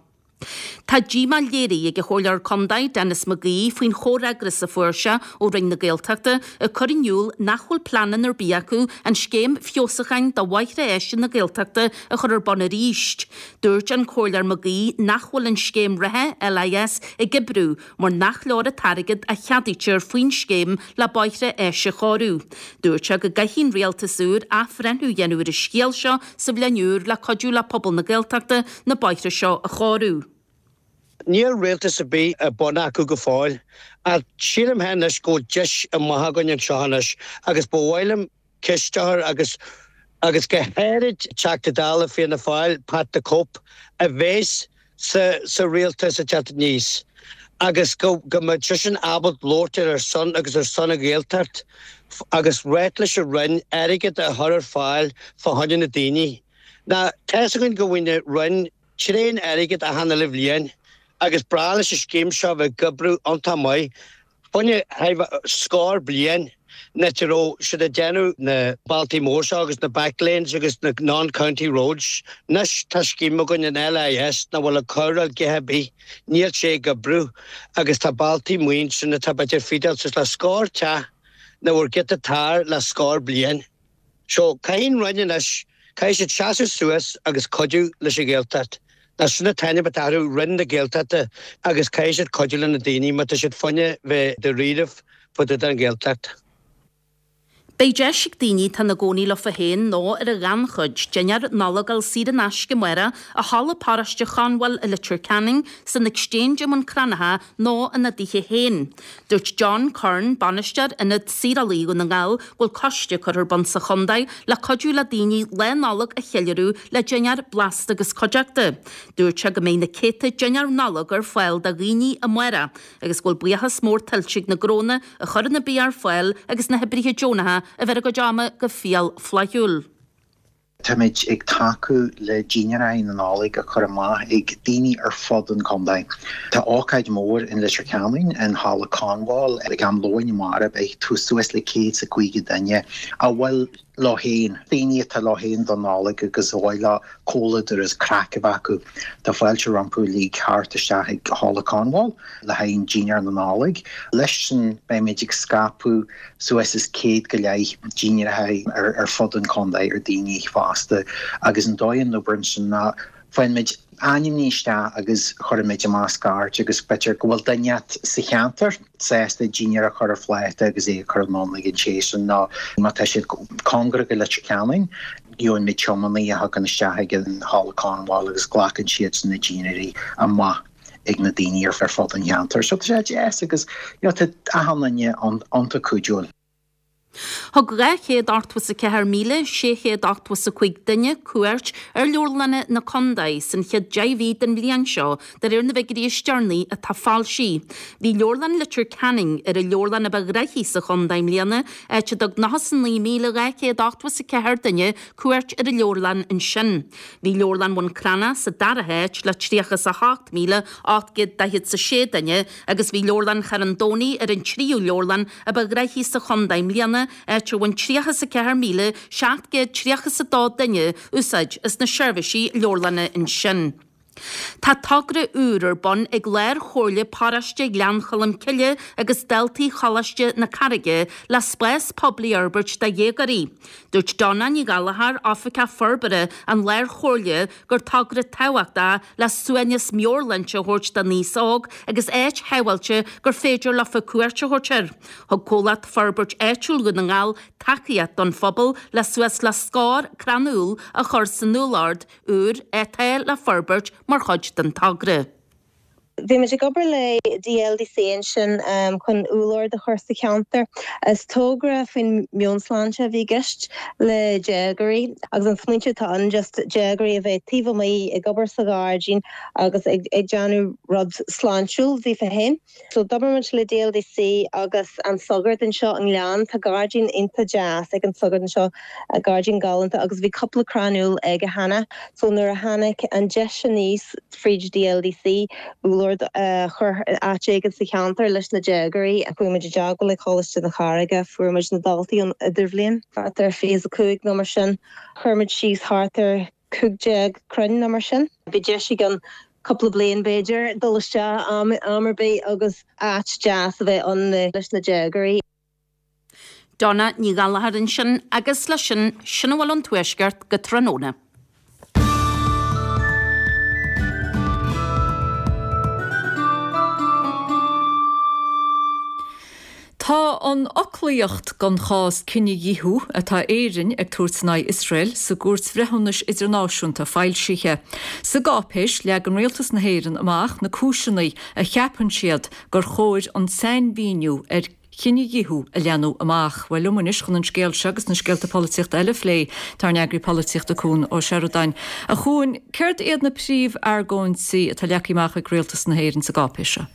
Tá díomá léirithe ag an Chomhairleoir Contae, Denis McGee, faoin chomhfhreagras a fuair sé ó Roinn na Gaeltachta ag cur in iúl nach bhfuil pleananna ar bith acu an scéim feabhsúcháin do bhóithre áise na Gaeltachta a chur ar bun arís. Dúirt an Comhairleoir McGee nach bhfuil an scéim reatha, LIS, ag oibriú mar nach leor an t-airgead a cheadaítear faoin scéim le bóithre áise a chóiriú. Dúirt sé go gcaithfidh an rialtas úr athbhreithniú a dhéanamh ar an scéal seo sa bhliain úr le cuidiú le pobal na Gaeltachta na bóithre seo a chóiriú. Níl rialtas ar bith ar bun acu go fóill, ach sílim féin anois go bhfuil deis amach againn anseo anois agus ba mhaith liom ceist a chur agus agus go háirid Teachta Dála Fianna Fáil, Pat the Cope, a bheas sa sa rialtas ag teacht aníos agus go go mbeidh seisean ábalta labhairt ar ár son agus ar son an Ghaeltacht agus ráit leis an Roinn airgead a chur ar fáil fá choinne na daoine. Ná tá's againn go bhfuil an Roinn tréan airgead achan uile bhliain agus breá leis an scéim seo bheith ag oibriú iontach maith. Baineadh scór bliain nuair a raibh siad ag déanamh na bealtaí mór seo agus na back lanes agus na non-county roads. Anois tá scéim againn an LIS nach bhfuil ag cur a dhath ar bith, níl sé ag oibriú agus tá bealtaí maoin sin atá b'fhéidir feedal suas le scór teach nach bhfuair giota tar le scór bliain. So caithfidh an Roinn anois, caithfidh siad seasamh suas agus cuidiú leis an Ghaeltacht. Nó sin an t-ainm atá orthu, Roinn na Gaeltachta, agus caithfidh siad cuidiú le na daoine má tá siad fá choinne bheith dáiríribh fá dtaobh den Ghaeltacht. Beidh deis ag daoine atá ina gcónaí leofa féin nó ar an ghannchuid dinnéar Nollag a fháil saor in aisce amárach i Halla Paróiste Chonbhail i Leitir Ceanainn, san Exchange i mBun Cranncha nó ina dtithe féin. Dúirt John Curran, Bainisteoir Ionad Saorálaí Dhún na nGall, go bhfuil coiste curtha ar bun sa chontae le cuidiú le daoine Lá Nollag a cheiliúradh le dinnéar blasta agus cuideachta. Dúirt sé go mbeidh na céadta dinnéar Nollag ar fáil do dhaoine amárach agus go bhfuil buíochas mór tuillte ag na gnónna a chuireann an bia ar fáil agus na hoibrithe deonacha a bheir a gcuid ama go fial flaithiúil. Táimid ag tacú le dinnéirí na Nollag a chur amach ag daoine ar fud an chontae. Tá ócáid mhór in Leitir Ceanainn in Halla Conwall ag am lóin amárach beidh suas le céad is a caoga duine a bhfuil leo féin, daoine atá leo féin don Nollaig agus a bhfuil le comhluadar is craic a bheith acu. Tá fáilte rompu uilig theacht isteach ag Halla Conwall le haghaidh an dinnéar na Nollag. Leis sin beimid ag scaipeadh suas is céad go leith dinnéaracha ar ar fud an chontae ar daoine fásta agus an dóigh a n-oibríonn sin ná faigheann ainmní isteach agus chuirimid amach scairt agus b'fhéidir go bhfuil duine sa cheantar sásta dinnéar a chur ar phláta agus é a chur anonn ag an té sin nó má tá siad cóngarach go Leitir Ceanainn gheobhaidh muid tiománaí a thagann isteach ag an Halla Conwall agus glacann siad na dinnéirí amach ag na daoine ar fud an cheantair. So tá sé deas agus you know, tá achan duine iontach cuidiúil. Thug dhá chéad ochtó is a ceathair míle sé chéad ochtó is a cúig duine cuairt ar leabharlanna na contae san chéad deich mhí den bhliain seo, de réir na bhfigiúirí is deireanaí atá foilsithe. Bhí Leabharlann Leitir Ceanainn ar an leabharlann a ba ghnoithí sa chontae i mbliana, áit a dtug nócha is a naoi míle dhá chéad ochtó is a ceathair duine cuairt ar an leabharlann ansin. Bhí Leabharlann Bhun Cranncha sa dara háit le tríocha is a hocht míle ocht gcéad daichead is a sé duine agus bhí Leabharlann Charn Domhnaigh ar an tríú leabharlann a ba ghnoithí sa chontae i mbliana, áit ar bhain tríocha is a ceathair míle seacht gcéad tríocha is a dó duine úsáid as na seirbhísí leabharlainne ansin. Tá togra úr ar bun ag Lár-Chomhairle Paróiste Ghleann Cholm Cille agus daltaí Choláiste na Carraige le spás poiblí a fhorbairt do dhéagóirí. Dúirt Donna Ní Ghallchóir, Oifigeach Forbartha an Lár-Chomhairle, gur togra tábhachtach le suaimhneas meabhairshláinte a thabhairt don aos óg agus áit shábháilte gur féidir leofa cuairt a thabhairt air. Thug Comhlacht Forbairt Áitiúil Dhún na nGall tacaíocht don phobal le suas le scór crann úll a chur san úllord úr atá le forbairt mar chuid den togra. Bhí muid ag obair le D L D C ansin chun úllord a chur sa cheantar. Is togra faoin meabhairshláinte a bhí i gceist le déagóirí agus an smaoineamh atá ann just déagóirí a bheith taobh amuigh ag obair sa ghairdín agus ag ag déanamh rud sláintiúil daofa féin. So d'obair muid le D L D C agus an sagart anseo an Gleann. Tá gairdín iontach deas ag an sagart anseo, gairdín galánta agus bhí cúpla crann úll aige cheana. So nuair a tháinig an deis aníos fríd D L D C úllord uh, chur áit éigin sa cheantar leis na déagóirí a chuaigh muid i dteagmháil le Coláiste na Carraige, fuair muid na daltaí an idirbhliain thart ar fiche a cúig nó mar sin, chuir muid síos thart ar cúig déag crann nó mar sin. Bhí deis an cúpla bliain b'fhéidir dul isteach am am ar bith agus áit deas a bheith ann leis na déagóirí. Donna Ní Ghallchóir ansin agus leis sin sin a bhfuil ón Tuaisceart go tráthnóna. Tá an fhoclaíocht don chás cinedhíothú atá Éirinn ag tabhairt in aghaidh Iosrael sa gCúirt Bhreithiúnais Idirnáisiúnta foilsithe. Sa gcáipéis leagann Rialtas na hÉireann amach na cúiseanna a cheapann siad gur chóir an sainmhíniú ar chinedhíothú a leathnú amach. Well liom anois chun an scéal seo agus na scéalta polaitíochta eile a phlé tá ár n-eagraí polaitíochta Cuan Ó Seireadáin. A Chuain, céard iad na príomhargóintí atá leagtha amach ag Rialtas na hÉireann sa gcáipéis seo?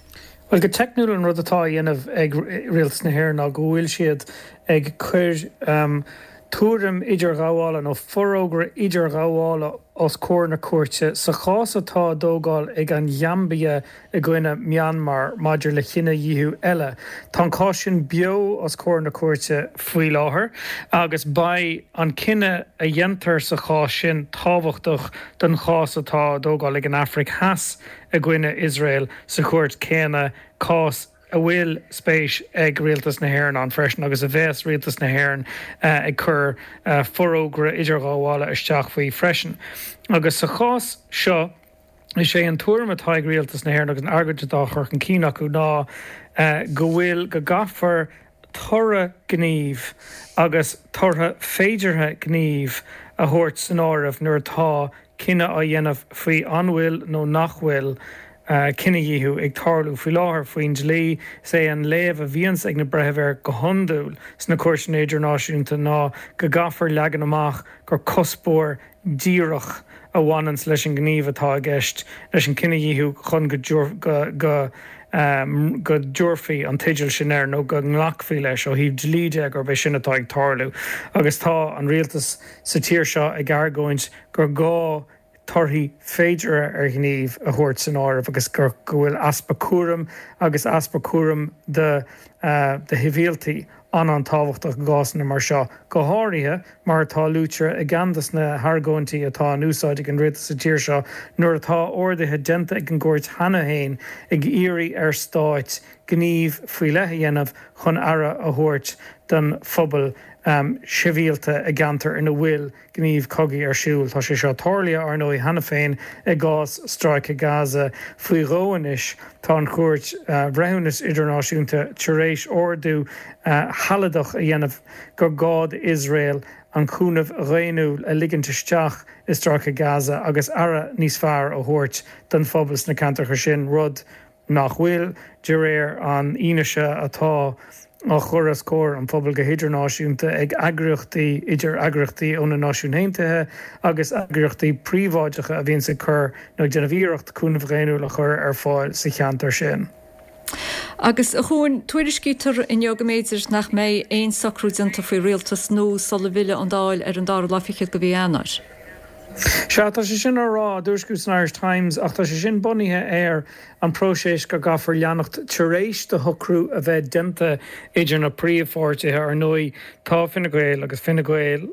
Well, go teicniúil an rud atá á dhéanamh ag Rialtas na hÉireann ná go bhfuil siad ag cur um, tuairim idirghabhála nó forógra idirghabhála os comhair na cúirte sa chás atá á dtógáil ag an Ghaimbia i gcoinne Myanmar maidir le cinedhíothú eile. Tá an cás sin beo os comhair na cúirte faoi láthair agus beidh an cinneadh a dhéantar sa chás sin tábhachtach don chás atá á dtógáil ag an Afraic Theas i gcoinne Iosrael sa chúirt céanna, cás a bhfuil spéis ag Rialtas na hÉireann ann freisin agus a bheas Rialtas na hÉireann uh, ag cur uh, forógra idirghabhála isteach faoi freisin. Agus sa chás seo is é an tuairim atá ag Rialtas na hÉireann agus an argóint atá á chur chun cinn acu ná uh, go bhfuil go gcaithfear toradh gnímh agus torthaí féideartha gnímh a thabhairt san áireamh nuair atá cinneadh á dhéanamh faoi an bhfuil nó nach bhfuil uh, cinedhíothú ag tarlú faoi láthair faoin dlí. Is é an léamh a bhíonns ag na breithimh air go hiondúil sna cúirteanna idirnáisiúnta ná go gcaithfear leagan amach gur cuspóir díreach a bhaineanns leis an ngníomh atá i gceist leis an cinedhíothú chun go go, go um, go dtabharfaí an teideal sin air nó go nglacfaí leis ó thaobh dlí de gurb é sin atá ag tarlú. Agus tá an rialtas sa tír seo ag argóint gur gá torthaí féideartha ar ghníomh a thabhairt san áireamh agus gur go bhfuil easpa cúraim agus easpa cúraim de uh, de shibhialtaigh an an-tábhachtach i gcásanna mar seo, go háirithe mar atá luaite i gceann de na hargóintí atá in úsáid ag an rialtas sa tír seo nuair atá orduithe déanta ag an gcúirt cheana féin ag iarraidh ar stáit gníomh faoi leith a dhéanamh chun aire a thabhairt don phobal um, sibhialta i gceantar ina bhfuil gníomh cogaidh ar siúl. Tá sé seo tarlaithe ar ndóigh cheana féin i gcás Stráice Gaza faoi dhó anois. Tá an Chúirt uh, Bhreithiúnas Idirnáisiúnta tar éis ordú uh, sealadach a dhéanamh gur gá d'Iosrael an cúnamh daonnúil a ligint isteach i Stráice Gaza agus aire níos fearr a thabhairt don phobal sna ceantracha sin, rud nach bhfuil de réir an fhianaise atá á chur os comhair an phobail go hidirnáisiúnta ag eagraíochtaí, idir eagraíochtaí ó na Náisiúin Aontaithe agus eagraíochtaí príobháideacha a bhíonns ag cur nó ag déanamh iarracht cúnamh dhaonnúil a chur ar fáil sa cheantar sin. Agus, a Chuain, tuairiscítear inniu go mb'fhéidir nach mbeidh aon socrú déanta faoi rialtas nua sula bhfillfidh an Dáil ar an dara lá fichead de mhí Eanáir. Sea, tá sé sin á rá, á dtuairisciú san Irish Times, ach tá sé sin bunaithe ar an próiseas go gcaithfear leanacht tar éis do shocrú a bheith déanta idir na príomhpháirtithe. Ar ndóigh, tá Fine Gael agus Fine Gael,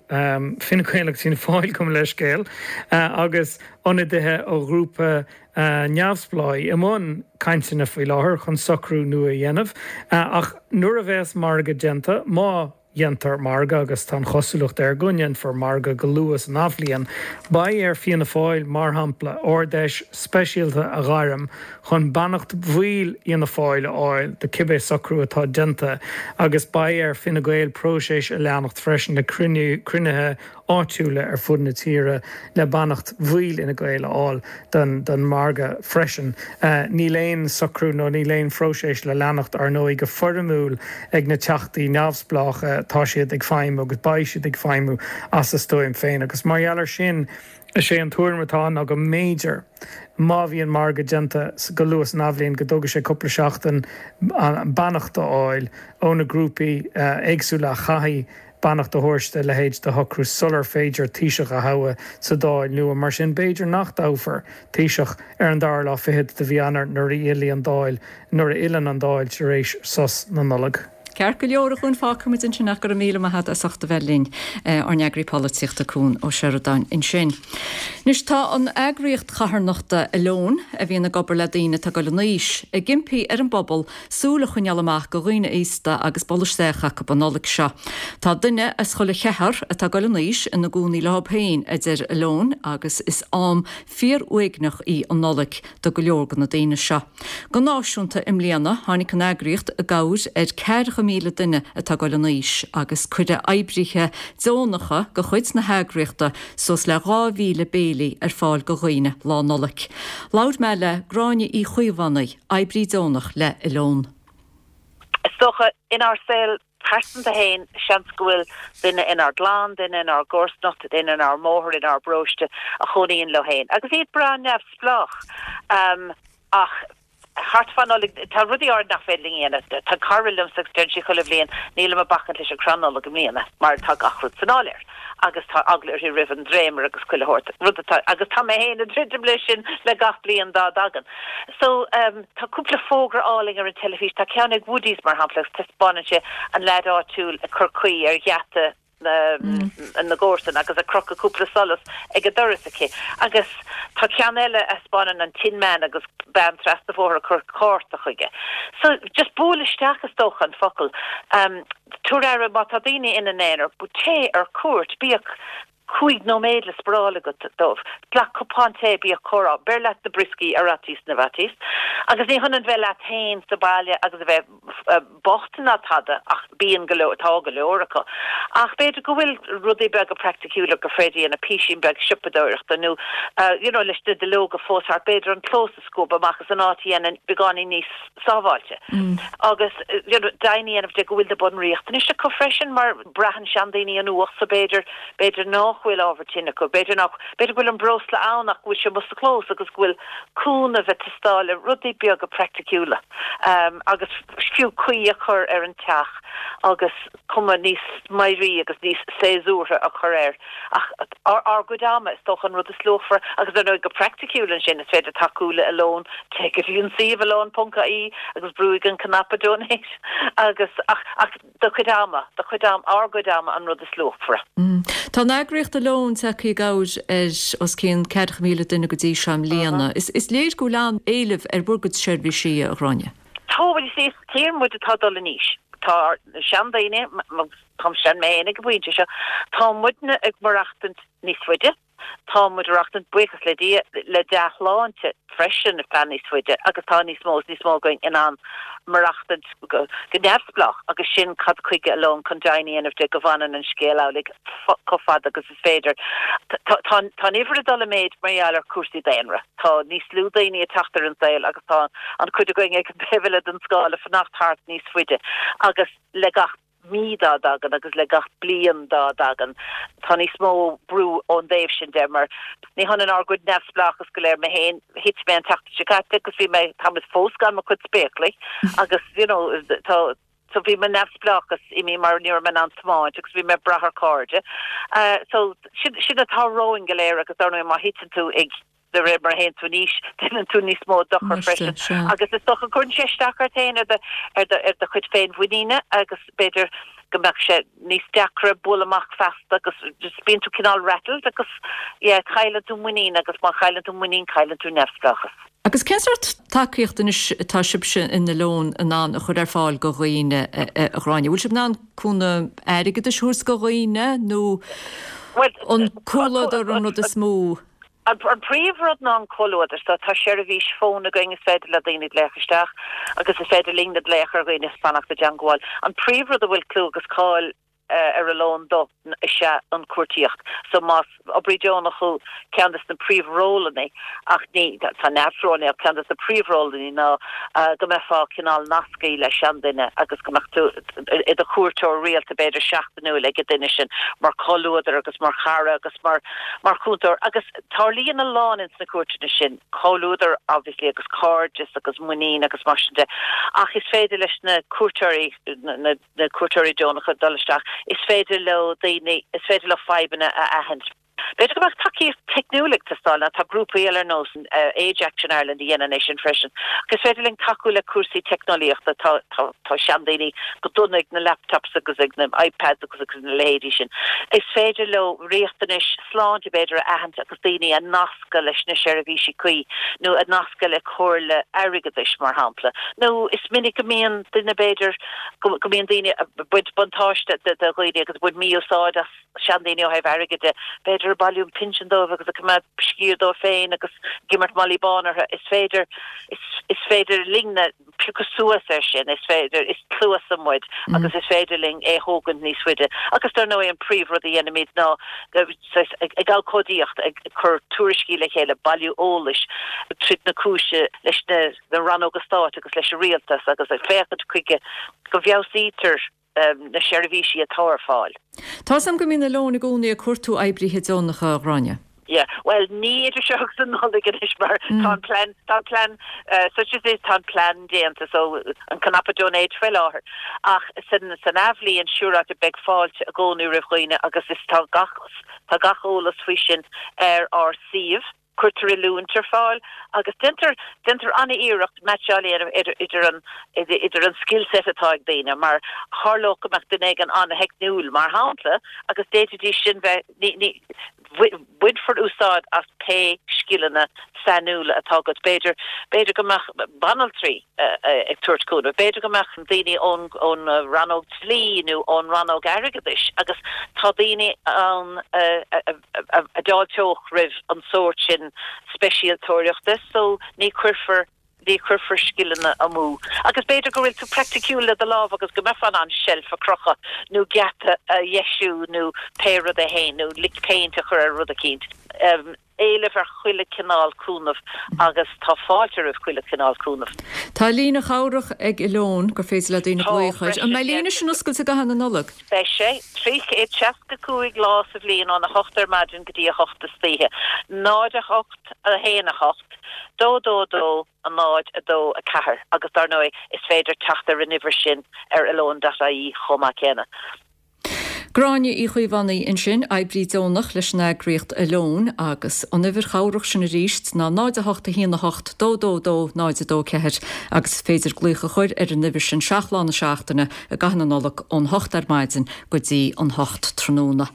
Fine Gael agus Fianna Fáil, gabh mo leithscéal, agus ionadaithe ó ghrúpa neamhspleách i mbun cainteanna faoi láthair chun socrú nua a dhéanamh. Ach nuair a bheas margadh déanta, má dhéantar margadh, agus tá an chosúlacht air go ndéanfar margadh go luath san athbhliain, beidh ar Fianna Fáil, mar shampla, Ard-Fheis speisialta a ghairm chun beannacht bhaill Fhianna Fáil a fháil do cibé socrú atá déanta, agus beidh ar Fine Gael próiseas a leanacht freisin le cruinnithe áitiúla ar fud na tíre le beannacht bhaill Fhine Gael a fháil don mhargadh freisin. Níl aon socrú nó níl aon phróiseas le leanacht, ar ndóigh, go foirmiúil ag na Teachtaí neamhspleácha, tá siad ag feidhmiú agus beidh siad ag feidhmiú as a stuaim féin agus mar gheall air sin, is é an tuairim atá ann ná go mb'fhéidir, má bhíonn margadh déanta go luath san athbhliain, go dtógfaidh sé cúpla seachtain beannacht a fháil ó na grúpaí éagsúla a chaithfidh beannacht a thabhairt do a leithéid de shocrú sular féidir Taoiseach a thoghadh sa Dáil nua. Mar sin, b'fhéidir nach dtoghfar Taoiseach ar an dara lá fichead de mhí Eanáir nuair a fhillfidh an Dáil, nuair a fhilleann an Dáil tar éis sos na Nollag. Ceart go leor, a Chuain, fágfaimid ansin ach go raibh míle maith agat as ucht a bheith linn, ár n-eagraí polaitíochta Cuan Ó Seireadáin ansin. Anois tá an eagraíocht charthanachta Alone, a bhíonn ag obair le daoine atá ag dul in aois, ag impí ar an bpobal súil a choinneáil amach do dhaoine aosta agus bualadh isteach acu an Nollaig seo. Tá duine as chuile cheathrar atá ag dul in aois ina gcónaí leo féin, a deir Alone, agus is am fíor-uaigneach í an Nollaig do go leor de na daoine seo. Go náisiúnta i mbliana, tháinig an eagraíocht i gcabhair ar ceathracha míle duine atá ag dul in aois agus cuireadh oibrithe deonacha de chuid na heagraíochta suas le dhá mhíle béilí ar fáil do dhaoine Lá Nollag. Labhair mé le Gráinne Uí Chaomhánaigh, oibrí deonach le Alone. Is dócha, inár saol pearsanta féin, seans go bhfuil duine inár gclann, duine inár gcomharsanacht, duine inár mbóthar, inár bparóiste a chónaíonn leo féin agus iad breá neamhspleách. Ach thart fá Nollaig, tá rudaí áirid nach féidir linn a dhéanamh. Tá cara liomsa agus deireann sí chuile bhliain, nílim ag bacaint leis an chrann Nollag i mbliana mar tá gach rud san áiléar agus tá eagla uirthi roimh an dréimire agus chuile shórt rud atá, agus tá mé féin ag druidim leis sin le gach bliain dá dtagann. So, tá cúpla fógra álainn ar an teilifís, tá ceann ag Woodies mar shampla agus taispeánann sé an leaid áitiúil ag cur caoi ar gheata na gcomharsan agus ag crochadh cúpla solas ag an doras aici. Agus tá ceann eile a thaispeánann an Tin Man agus bean trasna an bhóthair ag cur cárta chuige. So, just buail isteach is dócha an focal. Tabhair aire má tá daoine ina n-aonar, téigh ar cuairt, bíodh cúig nóiméad le spáráil agat dóibh. Glac cupán tae, bíodh comhrá, beir leat na brioscaí ar fhaitíos na bhfaitíos. Agus ní hionann bheith leat féin sa bhaile agus a bheith bocht ná tada ach bíonn go leor, tá go leor acu. Ach b'fhéidir go bhfuil rudaí beaga praiticiúla gur féidir a dhéanamh, písín beag siopadóireachta nó you know leis na duilleoga fós thart, b'fhéidir an clós a scuabadh amach agus an áit a dhéanamh beagáinín níos sábháilte. Agus you know deimhin a dhéanamh de go bhfuil na bunriachtanais acu freisin mar braitheann seandaoine an fhuacht so b'fhéidir, b'fhéidir nach bhfuil ábhar tine acu, b'fhéidir nach, b'fhéidir go bhfuil an breosla ann ach go bhfuil sé amuigh sa chlós agus go bhfuil cúnamh ag teastáil le rudaí beaga praiticiúla agus fiú caoi a chur ar an teach agus cuma níos meidhrí agus níos séasúrtha a chur air. Ach ár gcuid ama, is dócha, an rud is luachmhaire agus ar ndóigh go praiticiúil ansin is féidir tacú le Alone, téigh go dtí an suíomh alone ponc ie agus brúigh an cnaipe donate agus ach ach do chuid ama, do chuid ama, ár gcuid ama an rud is luachmhaire. Tá an eagraíocht Alone tagtha i gcabhair ar os cionn ceathracha míle duine go dtí seo i mbliana. Is léir go bhfuil an-éileamh ar bhur gcuid seirbhísí, a Ghráinne. Tá, bhuel, you see, is tír muid atá ag dul in aois. Tá ár seandaoine, táim sean mé féin ag an bpointe seo, tá muidne ag maireachtaint níos faide. Tá muid ag maireachtaint, buíochas le Dia, le dea-shláinte freisin ar feadh níos faide agus tá níos mó is níos mó againn in ann maireachtaint go neamhspleách agus sin cad chuige Oileán chun deimhin a dhéanamh de go bhfanann an scéal amhlaidh chomh fada agus is féidir. Tá an uimhir ag dul i méid mar gheall ar chúrsaí daonra. Tá níos lú daoine ag teacht ar an saol agus tá an chuid againn ag an taobh eile den scála ag fanacht thart níos faide agus le gach mí dá dtagann agus le gach bliain dá dtagann, tá níos mó brú ón dtaobh sin de mar ní hionann ár gcuid neamhspleáchas go léir. Mé féin, thit mé an tseachtain seo caite agus bhí mé, táimid fós gan mo chuid spéaclaí agus you know tá, so bhí mo neamhspleáchas imithe mar ní raibh mé in ann tiomáint agus bhí mé ag brath ar cairde. So sin, sin atá romhainn go léir agus dar ndóigh má thiteann tú ag De réir mar a théann tú in aois, déanann tú níos mó dochair freisin agus is dócha cuireann sé isteach ort féin, ar do, ar do, ar do chuid féinmhuiníne agus b'fhéidir go mbeadh sé níos deacra bualadh amach feasta agus just bíonn tú cineál rattled agus yeah cailleann tú muinín agus má chailleann tú muinín cailleann tú neamhspleáchas. Agus cén sórt tacaíocht anois atá sibhse in Oileán in ann a chur ar fáil go dhaoine, a Ghráinne? Bhfuil sibh in ann cúnamh airgeadais a thabhairt go dhaoine nó an comhluadar an rud is mó? An príomhrud ná an comhluadar. So tá seirbhís fóin againn is féidir le daoine glaoch isteach agus is féidir linne glaoch ar dhaoine is fanacht i dteangmháil. An príomhrud a bhfuil clú agus cáil ar Oileán dó is ea an cuartaíocht. So más oibrí deonach thú, ceann de na príomhrólanna, ach ní, tá neart rólanna ach ceann de na príomhrólanna ná go mbeifeá cineál nasctha le seanduine agus go mbeadh tú i do chuairteoir rialta b'fhéidir seachtainiúil ag an duine sin mar chomhluadar agus mar chara agus mar mar chúntóir agus tarlaíonn a lán ins na cuairteanna sin, comhluadar obviously agus cairdeas agus muinín agus mar sin de ach is féidir leis na cuairteoirí, na na cuairteoirí deonacha dul isteach, is féidir leo daoine, is féidir leo fadhbanna a aithint. B'fhéidir go mbeadh tacaíocht teicniúil ag teastáil, nó tá grúpaí eile ar nós Age Action Ireland a dhéanann é sin freisin. Ach is féidir linn tacú le cúrsaí teicneolaíochta, tá tá tá seandaoine go dona ag na laptops agus ag na iPads agus agus na leithéidí sin. Is féidir leo riachtanais sláinte b'fhéidir a aithint agus daoine a nascadh leis na seirbhísí cuí nó a nascadh le comhairle airgeadais mar shampla. Nó is minic go mbíonn duine b'fhéidir go go mbíonn daoine ag baint buntáiste de de dhaoine agus ag baint mí-úsáid as seandaoine ó thaobh airgid de, b'fhéidir ag bailiú pinsean dóibh agus ag coimeád sciar dóibh féin agus ag imirt malaí bán orthu. Is féidir, is féidir linne piocadh suas air sin, is féidir, is cluasa muid agus is féidir linn é a thógaint níos faide. Agus dar ndóigh an príomhrud a dhéanaimid ná ag abhcóidíocht, ag cur tuairiscí le chéile, bailiú eolais, troid na cúise leis na rannóga stáit agus leis an rialtas agus ag féachaint chuige go bhfeabhsaítear na seirbhísí atá ar fáil. Tá 's agam go mbíonn Oileán i gcónaí ag cuartú oibrithe deonacha, a Ghráinne. Yeah, bhuel ní idir seo agus an Nollaig anois mar tá an plean, tá an plean, such as it is, tá an plean déanta so an cnaipe donate faoi láthair. Ach san, san athbhliain siúráilte beidh fáilte i gcónaí roimh dhaoine agus is tá gach, tá gach eolas faoi sin ar ár suíomh. Cuirtear oiliúint ar fáil agus déantar déantar an-iarracht meaitseáil a dhéanamh idir idir an idir an skill set atá ag daoine mar tharlódh go mbeadh duine éigin an-theicniúil mar shampla agus d'fhéadfaidís sin bheith ní ní bainfear úsáid as pé scileanna sainiúla atá agat. B'fhéidir b'fhéidir go mbeadh banaltraí ag tabhairt cúnamh, b'fhéidir go mbeadh daoine ón ón rannóg dlí nó ón rannóg airgeadais agus tá daoine ann a a d'fháilteodh roimh an sórt sin speisialtóireachta so ní chuirfear ní chuirfear scileanna amú. Agus b'fhéidir go bhfuil tú praiticiúil le do lámh agus go mbeifeá in ann seilf a chrochadh nó geata a dheisiú nó pé rud é féin nó lick paint a chur ar rud eicínt. Éileamh ar chuile cineál cúnamh agus tá fáilte roimh chuile cineál cúnamh. Tá líne chabhrach ag Oileán gur féidir le daoine Tá glaoch air. An freisin, mbeidh yeah. líne sin oscailte i gcaitheamh na Nollag? Beidh sé trí chéad seasca cúig lá sa bhliain óna hocht ar maidin go dtí a hocht istoíche. Náid a hocht, a haon a hocht, dó dó dó, a náid a dó a ceathair agus dar ndóigh is féidir teacht ar an uimhir sin ar oilean dot ie chomh maith céanna. Gráinne Uí Chaomhánaigh ansin, oibrí deonach leis an eagraíocht Oileán agus an uimhir chabhrach sin arís ná náid a hocht a haon a hocht dó dó dó náid a dó ceathair agus is féidir glaoch a chur ar an uimhir sin seacht lá na seachtaine i gcaitheamh na Nollag ón hocht ar maidin go dtí an hocht tráthnóna.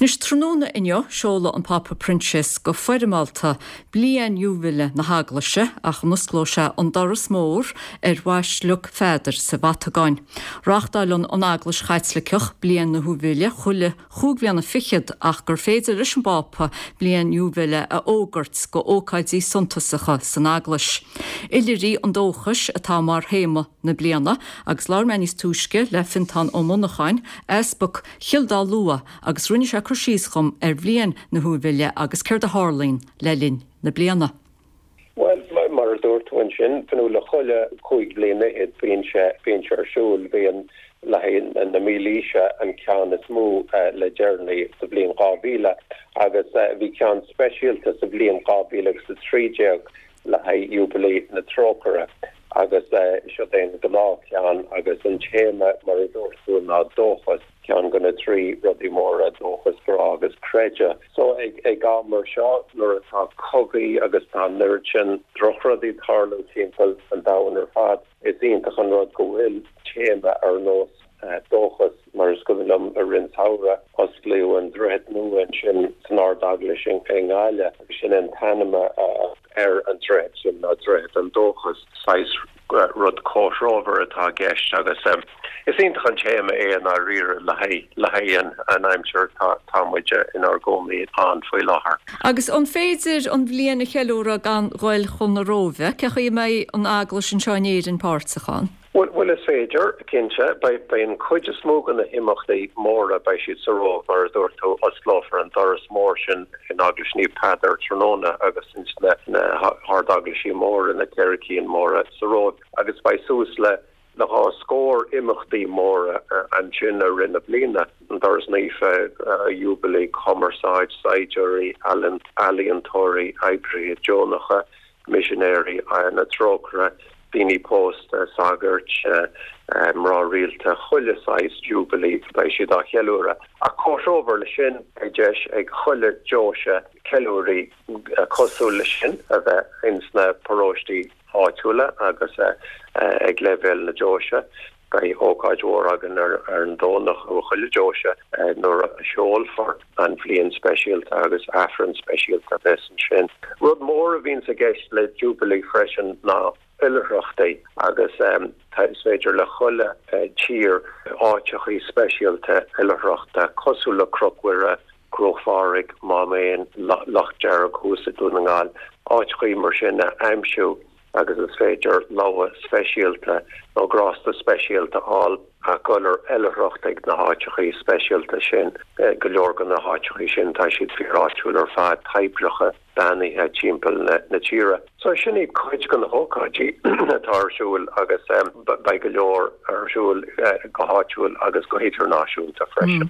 Anois tráthnóna inniu seolfaidh an Pápa Proinsias go foirmeálta Bliain Iúibile na hEaglaise ach an osclóidh sé an doras mór ar Bhaisleac Pheadair sa Vatacáin. Reáchtálann an Eaglais Chaitliceach Bliain na hIúibile chuile chúig bhliana fichead ach gur féidir leis an bPápa Bliain Iúibile a fhógairt go ócáidí suntasacha san Eaglais. Oilithrigh an Dóchais atá mar théama na bliana agus labhair mé níos túisce le Fintán Ó Monacháin, Easpag Chill Dá Lua agus rinne sé cur síos dhom ar Bhliain na hIúibile agus céard a tharlaíonn le linn na bliana. Bhuel, mar a dúirt tú ansin, Fionnuala, chuile chúig bhliana fhichead bíonn sé bíonn sé ar siúl, bhí le haghaidh na mílaoise an ceann is mó le deireanaí sa bhliain dhá mhíle agus bhí ceann speisialta sa bhliain dhá mhíle agus a trí déag le haghaidh Iúbailí na Trócaire agus seo é an gnáthcheann agus an téama mar a dúirt tú ná dóchas, ceann de na trí rudaí móra, dóchas, grá agus creideamh. So ag ag am mar seo nuair atá cogaí agus tá an oiread sin drochrudaí ag tarlú timpeall an domhain ar fad, is iontach an rud go bhfuil téama ar nós dóchas, mar is cuimhin liom i rith an tsamhraidh osclaíodh an droichead nua ansin san Ard-Eaglais i nGaillimh agus sin an t-ainm ar an droichead sin ná Droichead an Dóchais. Saghas rud comhthreomhar atá i gceist agus is iontach an téama é i ndáiríre le haghaidh le haghaidh an aimsir atá muid inár gcónaí ann faoi láthair. Agus an féidir an bhliain a cheiliúradh gan ghoil chun na Róimhe? Cé chaoi a mbeidh an Eaglais anseo in Éirinn páirteach ann? Bhuel, bhuel is féidir, cinnte. Beidh, beidh an chuid is mó de na himeachtaí móra, beidh siad sa Róimh, mar a dúirt tú, osclófar an doras mór sin in Eaglais Naomh Peadar tráthnóna agus ins na, na hardeaglaisí móra, na ceithre cinn móra sa Róimh agus beidh suas le, le dhá scór imeachtaí móra ansin i rith na bliana, an Doras Naofa, Jubilee, cumarsáid, saighdiúirí, ealaíontóirí, oibrithe deonacha, misinéirí na Trócaire, daoine pósta, sagairt, mná rialta, chuile saghas Jubilee, beidh siad á cheiliúradh. Ach comhthreomhar leis sin, beidh deis ag chuile deoise ceiliúraí cosúil leis sin a bheith ins na paróistí áitiúla agus ag leibhéal na deoise. Beidh ócáid mhór againn ar an Domhnach i chuile deoise nuair a sheolfar an bhliain speisialta agus Aifreann speisialta a bheas ansin. Rud mór a bhíonns i gceist le Jubilee freisin ná oilithreachtaí agus is féidir le chuile tír áiteachaí speisialta oilithreachta cosúil le Cnoc Mhuire, Cruach Phádraig, Mám Éan, Loch Dearg thuas i Dún na nGall, áiteachaí mar sin a aimsiú agus is féidir logha speisialta nó grásta speisialta a fháil ach dul ar oilithreacht ag na háiteachaí speisialta sin. Go leor de na háiteachaí sin tá siad fíor-áitiúil ar fad, toibreacha beannaithe timpeall na tíre. So sin iad cuid de na hócáidí atá ar siúl agus beidh go leor ar siúl go háitiúil agus go hidirnáisiúnta freisin.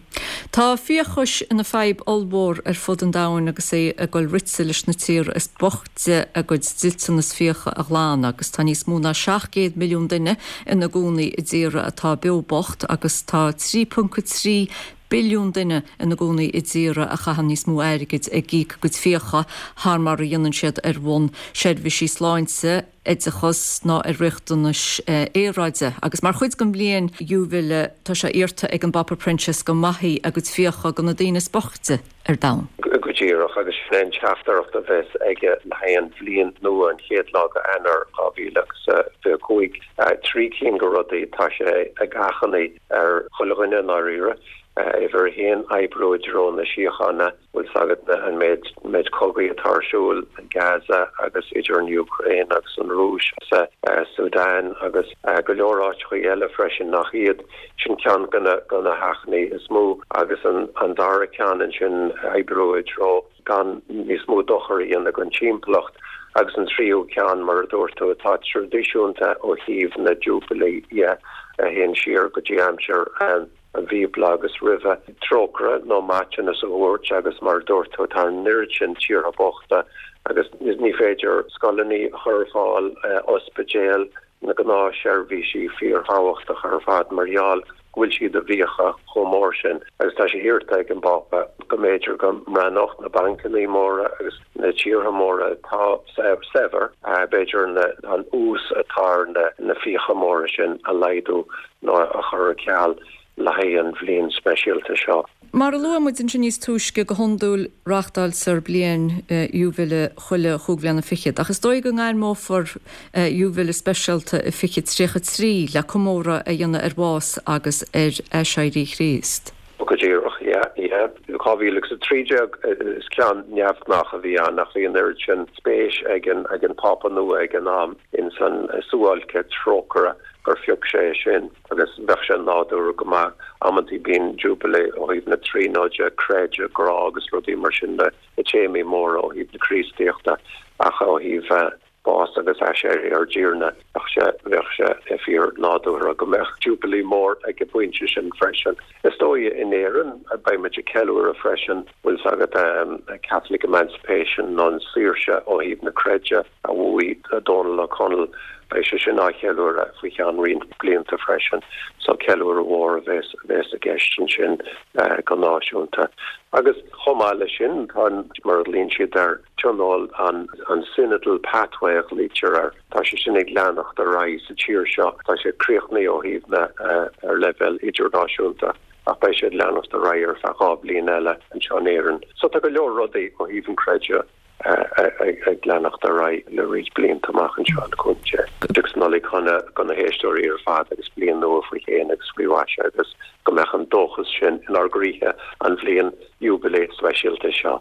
Tá fiachas ina fadhb ollmhór ar fud an domhain agus é ag dul rite leis na tíortha is boichte a gcuid dliteanas fiacha a ghlanadh agus tá níos mó ná seacht gcéad milliún duine ina gcónaí i dtíortha atá beo bocht agus tá trí ponc trí billiún duine ina gcónaí i dtíortha a chaitheann níos mó airgid ag íoc a gcuid fiacha thar mar a dhéanann siad ar bhonn seirbhísí sláinte, oideachas ná ar riachtanais aeráide. Agus mar chuid den bhliain Iúibile tá sé iarrta ag an bPápa Proinsias go maithfí a gcuid fiacha do na daoine is boichte ar domhan. Go díreach, agus sin é an teachtaireacht a bheas aige le haghaidh an bhliain nua, an chéad lá de Eanáir dhá mhíle agus fiche a cúig. Trí cinn de rudaí, tá sé ag achainí ar chuile dhuine i ndáiríre, uimhir a haon, oibriú i dtreo na síochána, bhfuil 's agat an méid méid cogaí atá ar siúl i Gaza agus idir an Úcráin agus an Rúis, sa Sudan agus go leor áiteachaí eile freisin nach iad. Sin ceann de na de na hachainí is mó agus an an dara ceann ansin oibriú i dtreo gan níos mó dochar a dhéanamh don timpeallacht agus an tríú ceann mar a dúirt tú atá traidisiúnta ó thaobh na Jubilee dhe a théann siar go dtí aimsir an an Bhíobla agus roimhe, trócaire nó maiteanas a thabhairt agus mar a dúirt tú tá an oiread sin tíortha bochta agus ní féidir scoileanna a chur ar fáil, ospidéil, na gnáthsheirbhísí fíorthábhachtacha ar fad mar gheall go bhfuil siad i bhfiacha chomh mór sin agus tá sé iarrta ag an bPápa go mb'fhéidir go mbreathnódh na bancanna móra agus na tíortha móra atá saibhir, b'fhéidir an ús atá ar na fiacha móra sin a laghdú nó a chur ar ceal. le haghaidh an bhliain speisialta seo. Mar a luaigh muid ansin níos túisce, go hiondúil reáchtáiltear bliain iúibile chuile chúig bhliana fichead, ach is dóigh go ngairmeofar iúibile speisialta i fiche tríocha trí le comóradh a dhéanamh ar bhás agus ar aiséirí Chríost. Go díreach, yeah, yeah. Dhá mhíle agus a trí déag, is ceann neamhghnách a bhí ann, ach bhí an oiread sin spéis ag an ag an Phápa nua ag an am ins an suáilce trócaire gur phioc sé é sin agus bheadh sé nádúrtha go maith. Amantaí bíonn Jubilee ó thaobh na Tríonóide, creideamh, grá agus rudaí mar sin, na téamaí móra ó thaobh na Críostaíochta ach ó thaobh bás agus aiséirí ár dTiarna, bheadh sé, bheadh sé fíor nádúrtha go mbeadh Jubilee mór ag an bpointe sin freisin. Is dóigh in Éirinn beidh muid ag ceiliúradh freisin, bhfuil 's agat, Catholic Emancipation nó an saoirse ó thaobh na creide a bhuaigh Dónal Ó Conaill, beidh sé sin á cheiliúradh faoi cheann roinnt blianta freisin. So ceiliúradh mhór a bheas, a bheas i gceist ansin go náisiúnta. Agus chomh maith leis sin, tá an, mar a ghlaonn siad air, tionól an, an Synodal Pathway a ghlaoitear air, tá sé sin ag leanacht ar aghaidh sa tír seo. Tá sé críochnaithe ó thaobh na, ar leibhéal idirnáisiúnta ach beidh sé ag leanacht ar aghaidh ar feadh dhá bhliain eile anseo in Éirinn. So tá go leor rudaí ó thaobh an chreidimh ag leanacht ar aghaidh le roinnt blianta amach anseo, le cúnamh Dé. Agus Nollaig shona do na héisteoirí ar fad agus bliain nua faoi shéan agus faoi mhaise agus go mbeadh an dóchas sin inár gcroíthe an bhliain Iúibilé speisialta seo.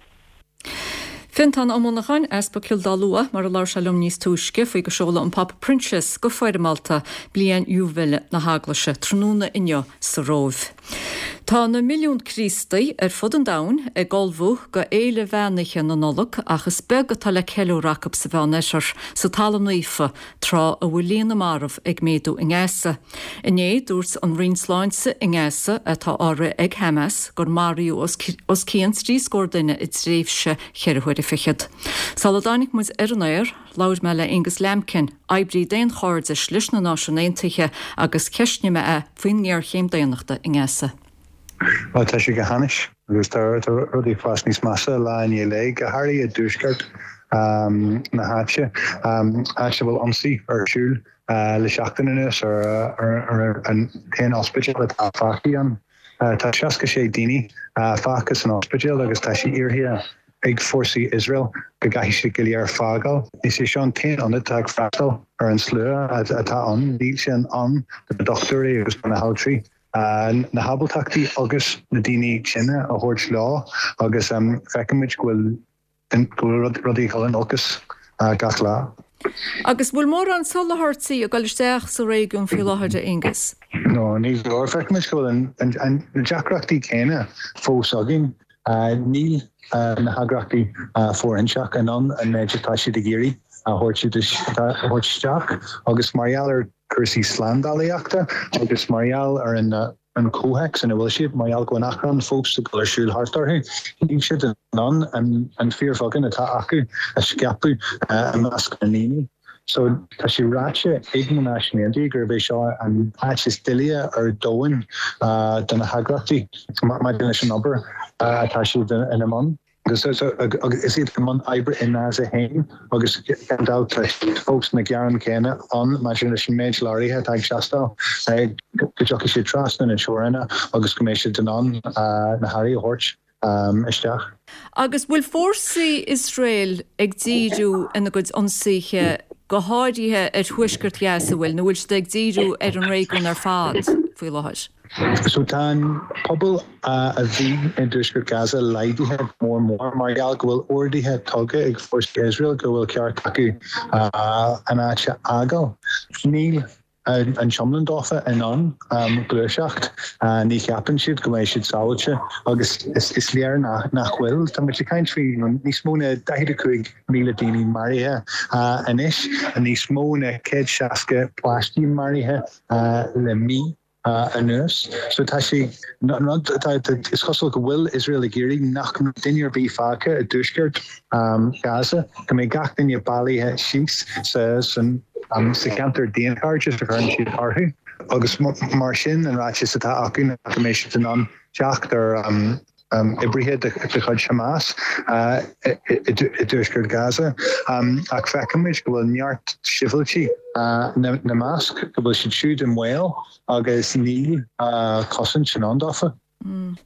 Fiontán Ó Monacháin, Easpag Chill Dá Lua, mar a labhair sé liom níos túisce faoi go seoladh an Pápa Proinsias go foirmeálta bliain Iúibile na hEaglaise tráthnóna inniu sa Róimh. Tá na milliúin Críostaí ar fud an domhain ag ullmhú go fhéile mheánoíche na Nollag ach is beag atá le ceiliúradh acu sa Mheánoirthear, sa Talamh Naofa, tráth a bhfuil líon na marbh ag méadú i nGaza. Inné, dúirt an Roinn Sláinte i nGaza, atá á rith ag Hamas, gur maraíodh os cionn trí scór duine i dtréimhse cheithre huaire fichead. Sula dtáinig muid ar an aer, labhair mé le Aonghus Lambkin, oibrí daonchairdis leis na Náisiúin Aontaithe, agus cheistnigh mé é faoin ngéarchéim daonnachta i nGaza. Bhuel, tá sé go hainnis agus tá rudaí ag fás níos measa lá i ndiaidh lae, go háirithe i dtuaisceart na háite, áit a bhfuil ionsaí ar siúl le seachtain anuas ar an t-aon ospidéal atá fágtha ann. Tá seasca sé daoine fágtha san ospidéal agus tá sé iarrtha ag fórsaí Iosrael go gcaithfidh siad go léir fágáil. Is é seo an t-aon ionad atá ag freastal ar an slua atá ann. Níl sé in am do na dochtúirí agus do na haltraí na hábaltachtaí agus na daoine tinne a thabhairt leo agus feicimid go bhfuil go bhfuil rudaí ag dul in olcas gach lá. Agus bhfuil mórán soláthairtí ag dul isteach sa réigiún faoi láthair, a Aonghus? No, ní leor. Feicimid go bhfuil na deacrachtaí céanna fós againn. Níl na heagraíochtaí fóirithinte in ann an méid atá siad ag iarraidh a thabhairt isteach agus mar gheall ar chúrsaí slándálaíochta agus mar gheall ar an an comhthéacs ina bhfuil siad, mar gheall go bhfuil an achrann fós ag dul ar siúl thart orthu, níl siad in ann an fíorbheagán atá acu a scaipeadh i measc na ndaoine. So, tá sé ráite ag na Náisiúin Aontaithe gurb é seo an áit is doilighe ar domhan do na heagraíochtaí maidir leis an obair atá siad ina mbun. Agus is iad i mbun oibre i nGaza féin agus gan dabht tá fós na gearáin céanna ann maidir leis an méid leoraithe atá ag teastáil go dtiocfaidh siad trasna na teoranna agus go mbeidh siad in ann na hearraí a thabhairt isteach. Agus bhfuil fórsaí Iosrael ag díriú ina gcuid ionsaithe go háirithe ar thuaisceart Ghaza, bhfuil, nó bhfuil siad ag díriú ar an réigiún ar fad faoi láthair? So tá an pobal a bhí i dtuaisceart Gaza laghdaithe go mór mór mar gheall go bhfuil orduithe tugtha ag fórsaí Iosrael go bhfuil ceart acu an áit a fhágáil. Níl an t-iomlán dófa in ann gluaiseacht. Ní cheapann siad go mbeidh siad sábháilte agus is léir nach bhfuil. Tá muid ag caint faoi níos mó na daichead a cúig míle daoine maraithe anois, níos mó na céad seasca páistí maraithe le mí anuas. So tá sé, an rud atá, is cosúil go bhfuil Iosrael ag iarraidh nach mbeidh duine ar bith fágtha i dtuaisceart Gaza, go mbeidh gach duine bailithe síos sa sa cheantar daonchairdis a chuireann siad orthu agus mar sin an ráiteas atá acu ná go mbeidh siad in ann teacht ar oibrithe de chuid Hamas i dtuaisceart Gaza, ach feicimid go bhfuil neart sibhialtaigh ina measc, go bhfuil siad siúd i mbaol agus níl cosaint in ann dófa.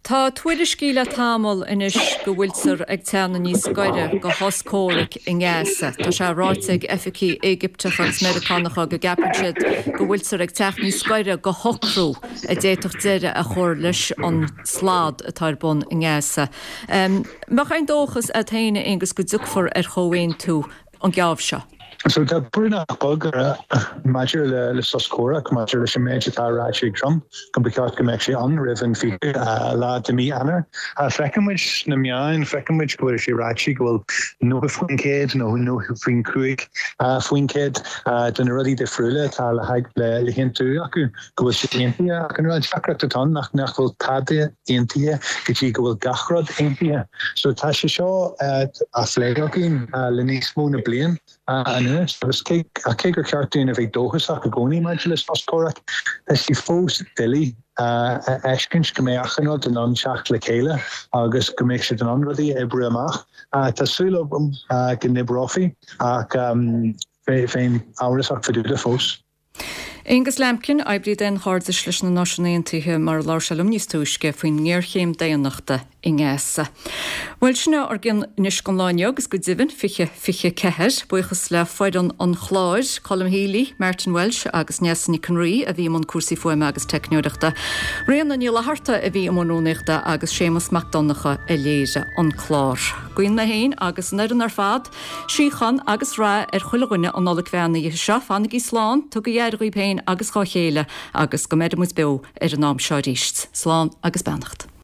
Tá tuairiscí le tamall anois go bhfuiltear ag teannadh níos gaire do shos comhraic i nGaza. Tá sé ráite ag oifigigh Éigipteacha agus Meiriceánacha go gceapann siad go bhfuiltear ag teacht níos gaire do shocrú a d'fhéadfadh deireadh a chur leis an slad atá ar bun i nGaza. Mbeadh aon dóchas agat féin, a Aonghus, go dtiocfar ar chomhaontú an geábh seo? So tá brú nach beag maidir le le sos comhraic, maidir leis an méid atá ráite ag Trump, go mba cheart go mbeadh sé ann roimh an fiche lá de mí Eanáir. Feiceann muid sna meáin, feiceann muid go bhfuil sé ráite go bhfuil nócha faoin gcéad nó nócha faoin cúig faoin gcéad de na rudaí difriúla atá le le haontú acu, go bhfuil siad aontaithe. Ach an rud deacracht atá ann nach nach bhfuil tada aontaithe go dtí go bhfuil gach rud aontaithe. So tá sé seo á phlé againn le níos mó na bliain. anuas agus cé cé gur cheart dúinn a bheith dóchasach i gcónaí maidir le sos comhraic, tá sé fós doiligh a fheiscint go mbeidh achan rud in ann teacht le chéile agus go mbeidh siad in ann rudaí a oibriú amach. Tá súil agam go n-oibreofaí ach bheinn amhrasach fá dtaobh de fós. Aonghus Lambkin, oibrí daonchairdis leis na Náisiúin Aontaithe, mar a labhair sé liom níos túisce faoin ngéarchéim daonnachta i nGaza. Bhuel, sin é ár gcionn anois don lá inniu agus go deimhin fiche fiche ceathair. Buíochas le foireann an chláir, Colm Healy, Martin Walsh agus Neasa Nic an Rí a bhí i mbun cúrsaí fuaime agus teicneoireachta. Ríona Ní Fhlatharta a bhí i mbun rúnaíochta agus Séamus Mac Donncha a léirigh an clár. Guíonn mé féin agus an fhoireann ar fad síocháin agus rath ar chuile dhuine an Nollaig bheannaithe seo. Fanaigí slán, tugaigí aire dhaoibh féin agus dhá chéile agus go mbeire muid beo ar an am seo arís. Slán agus beannacht.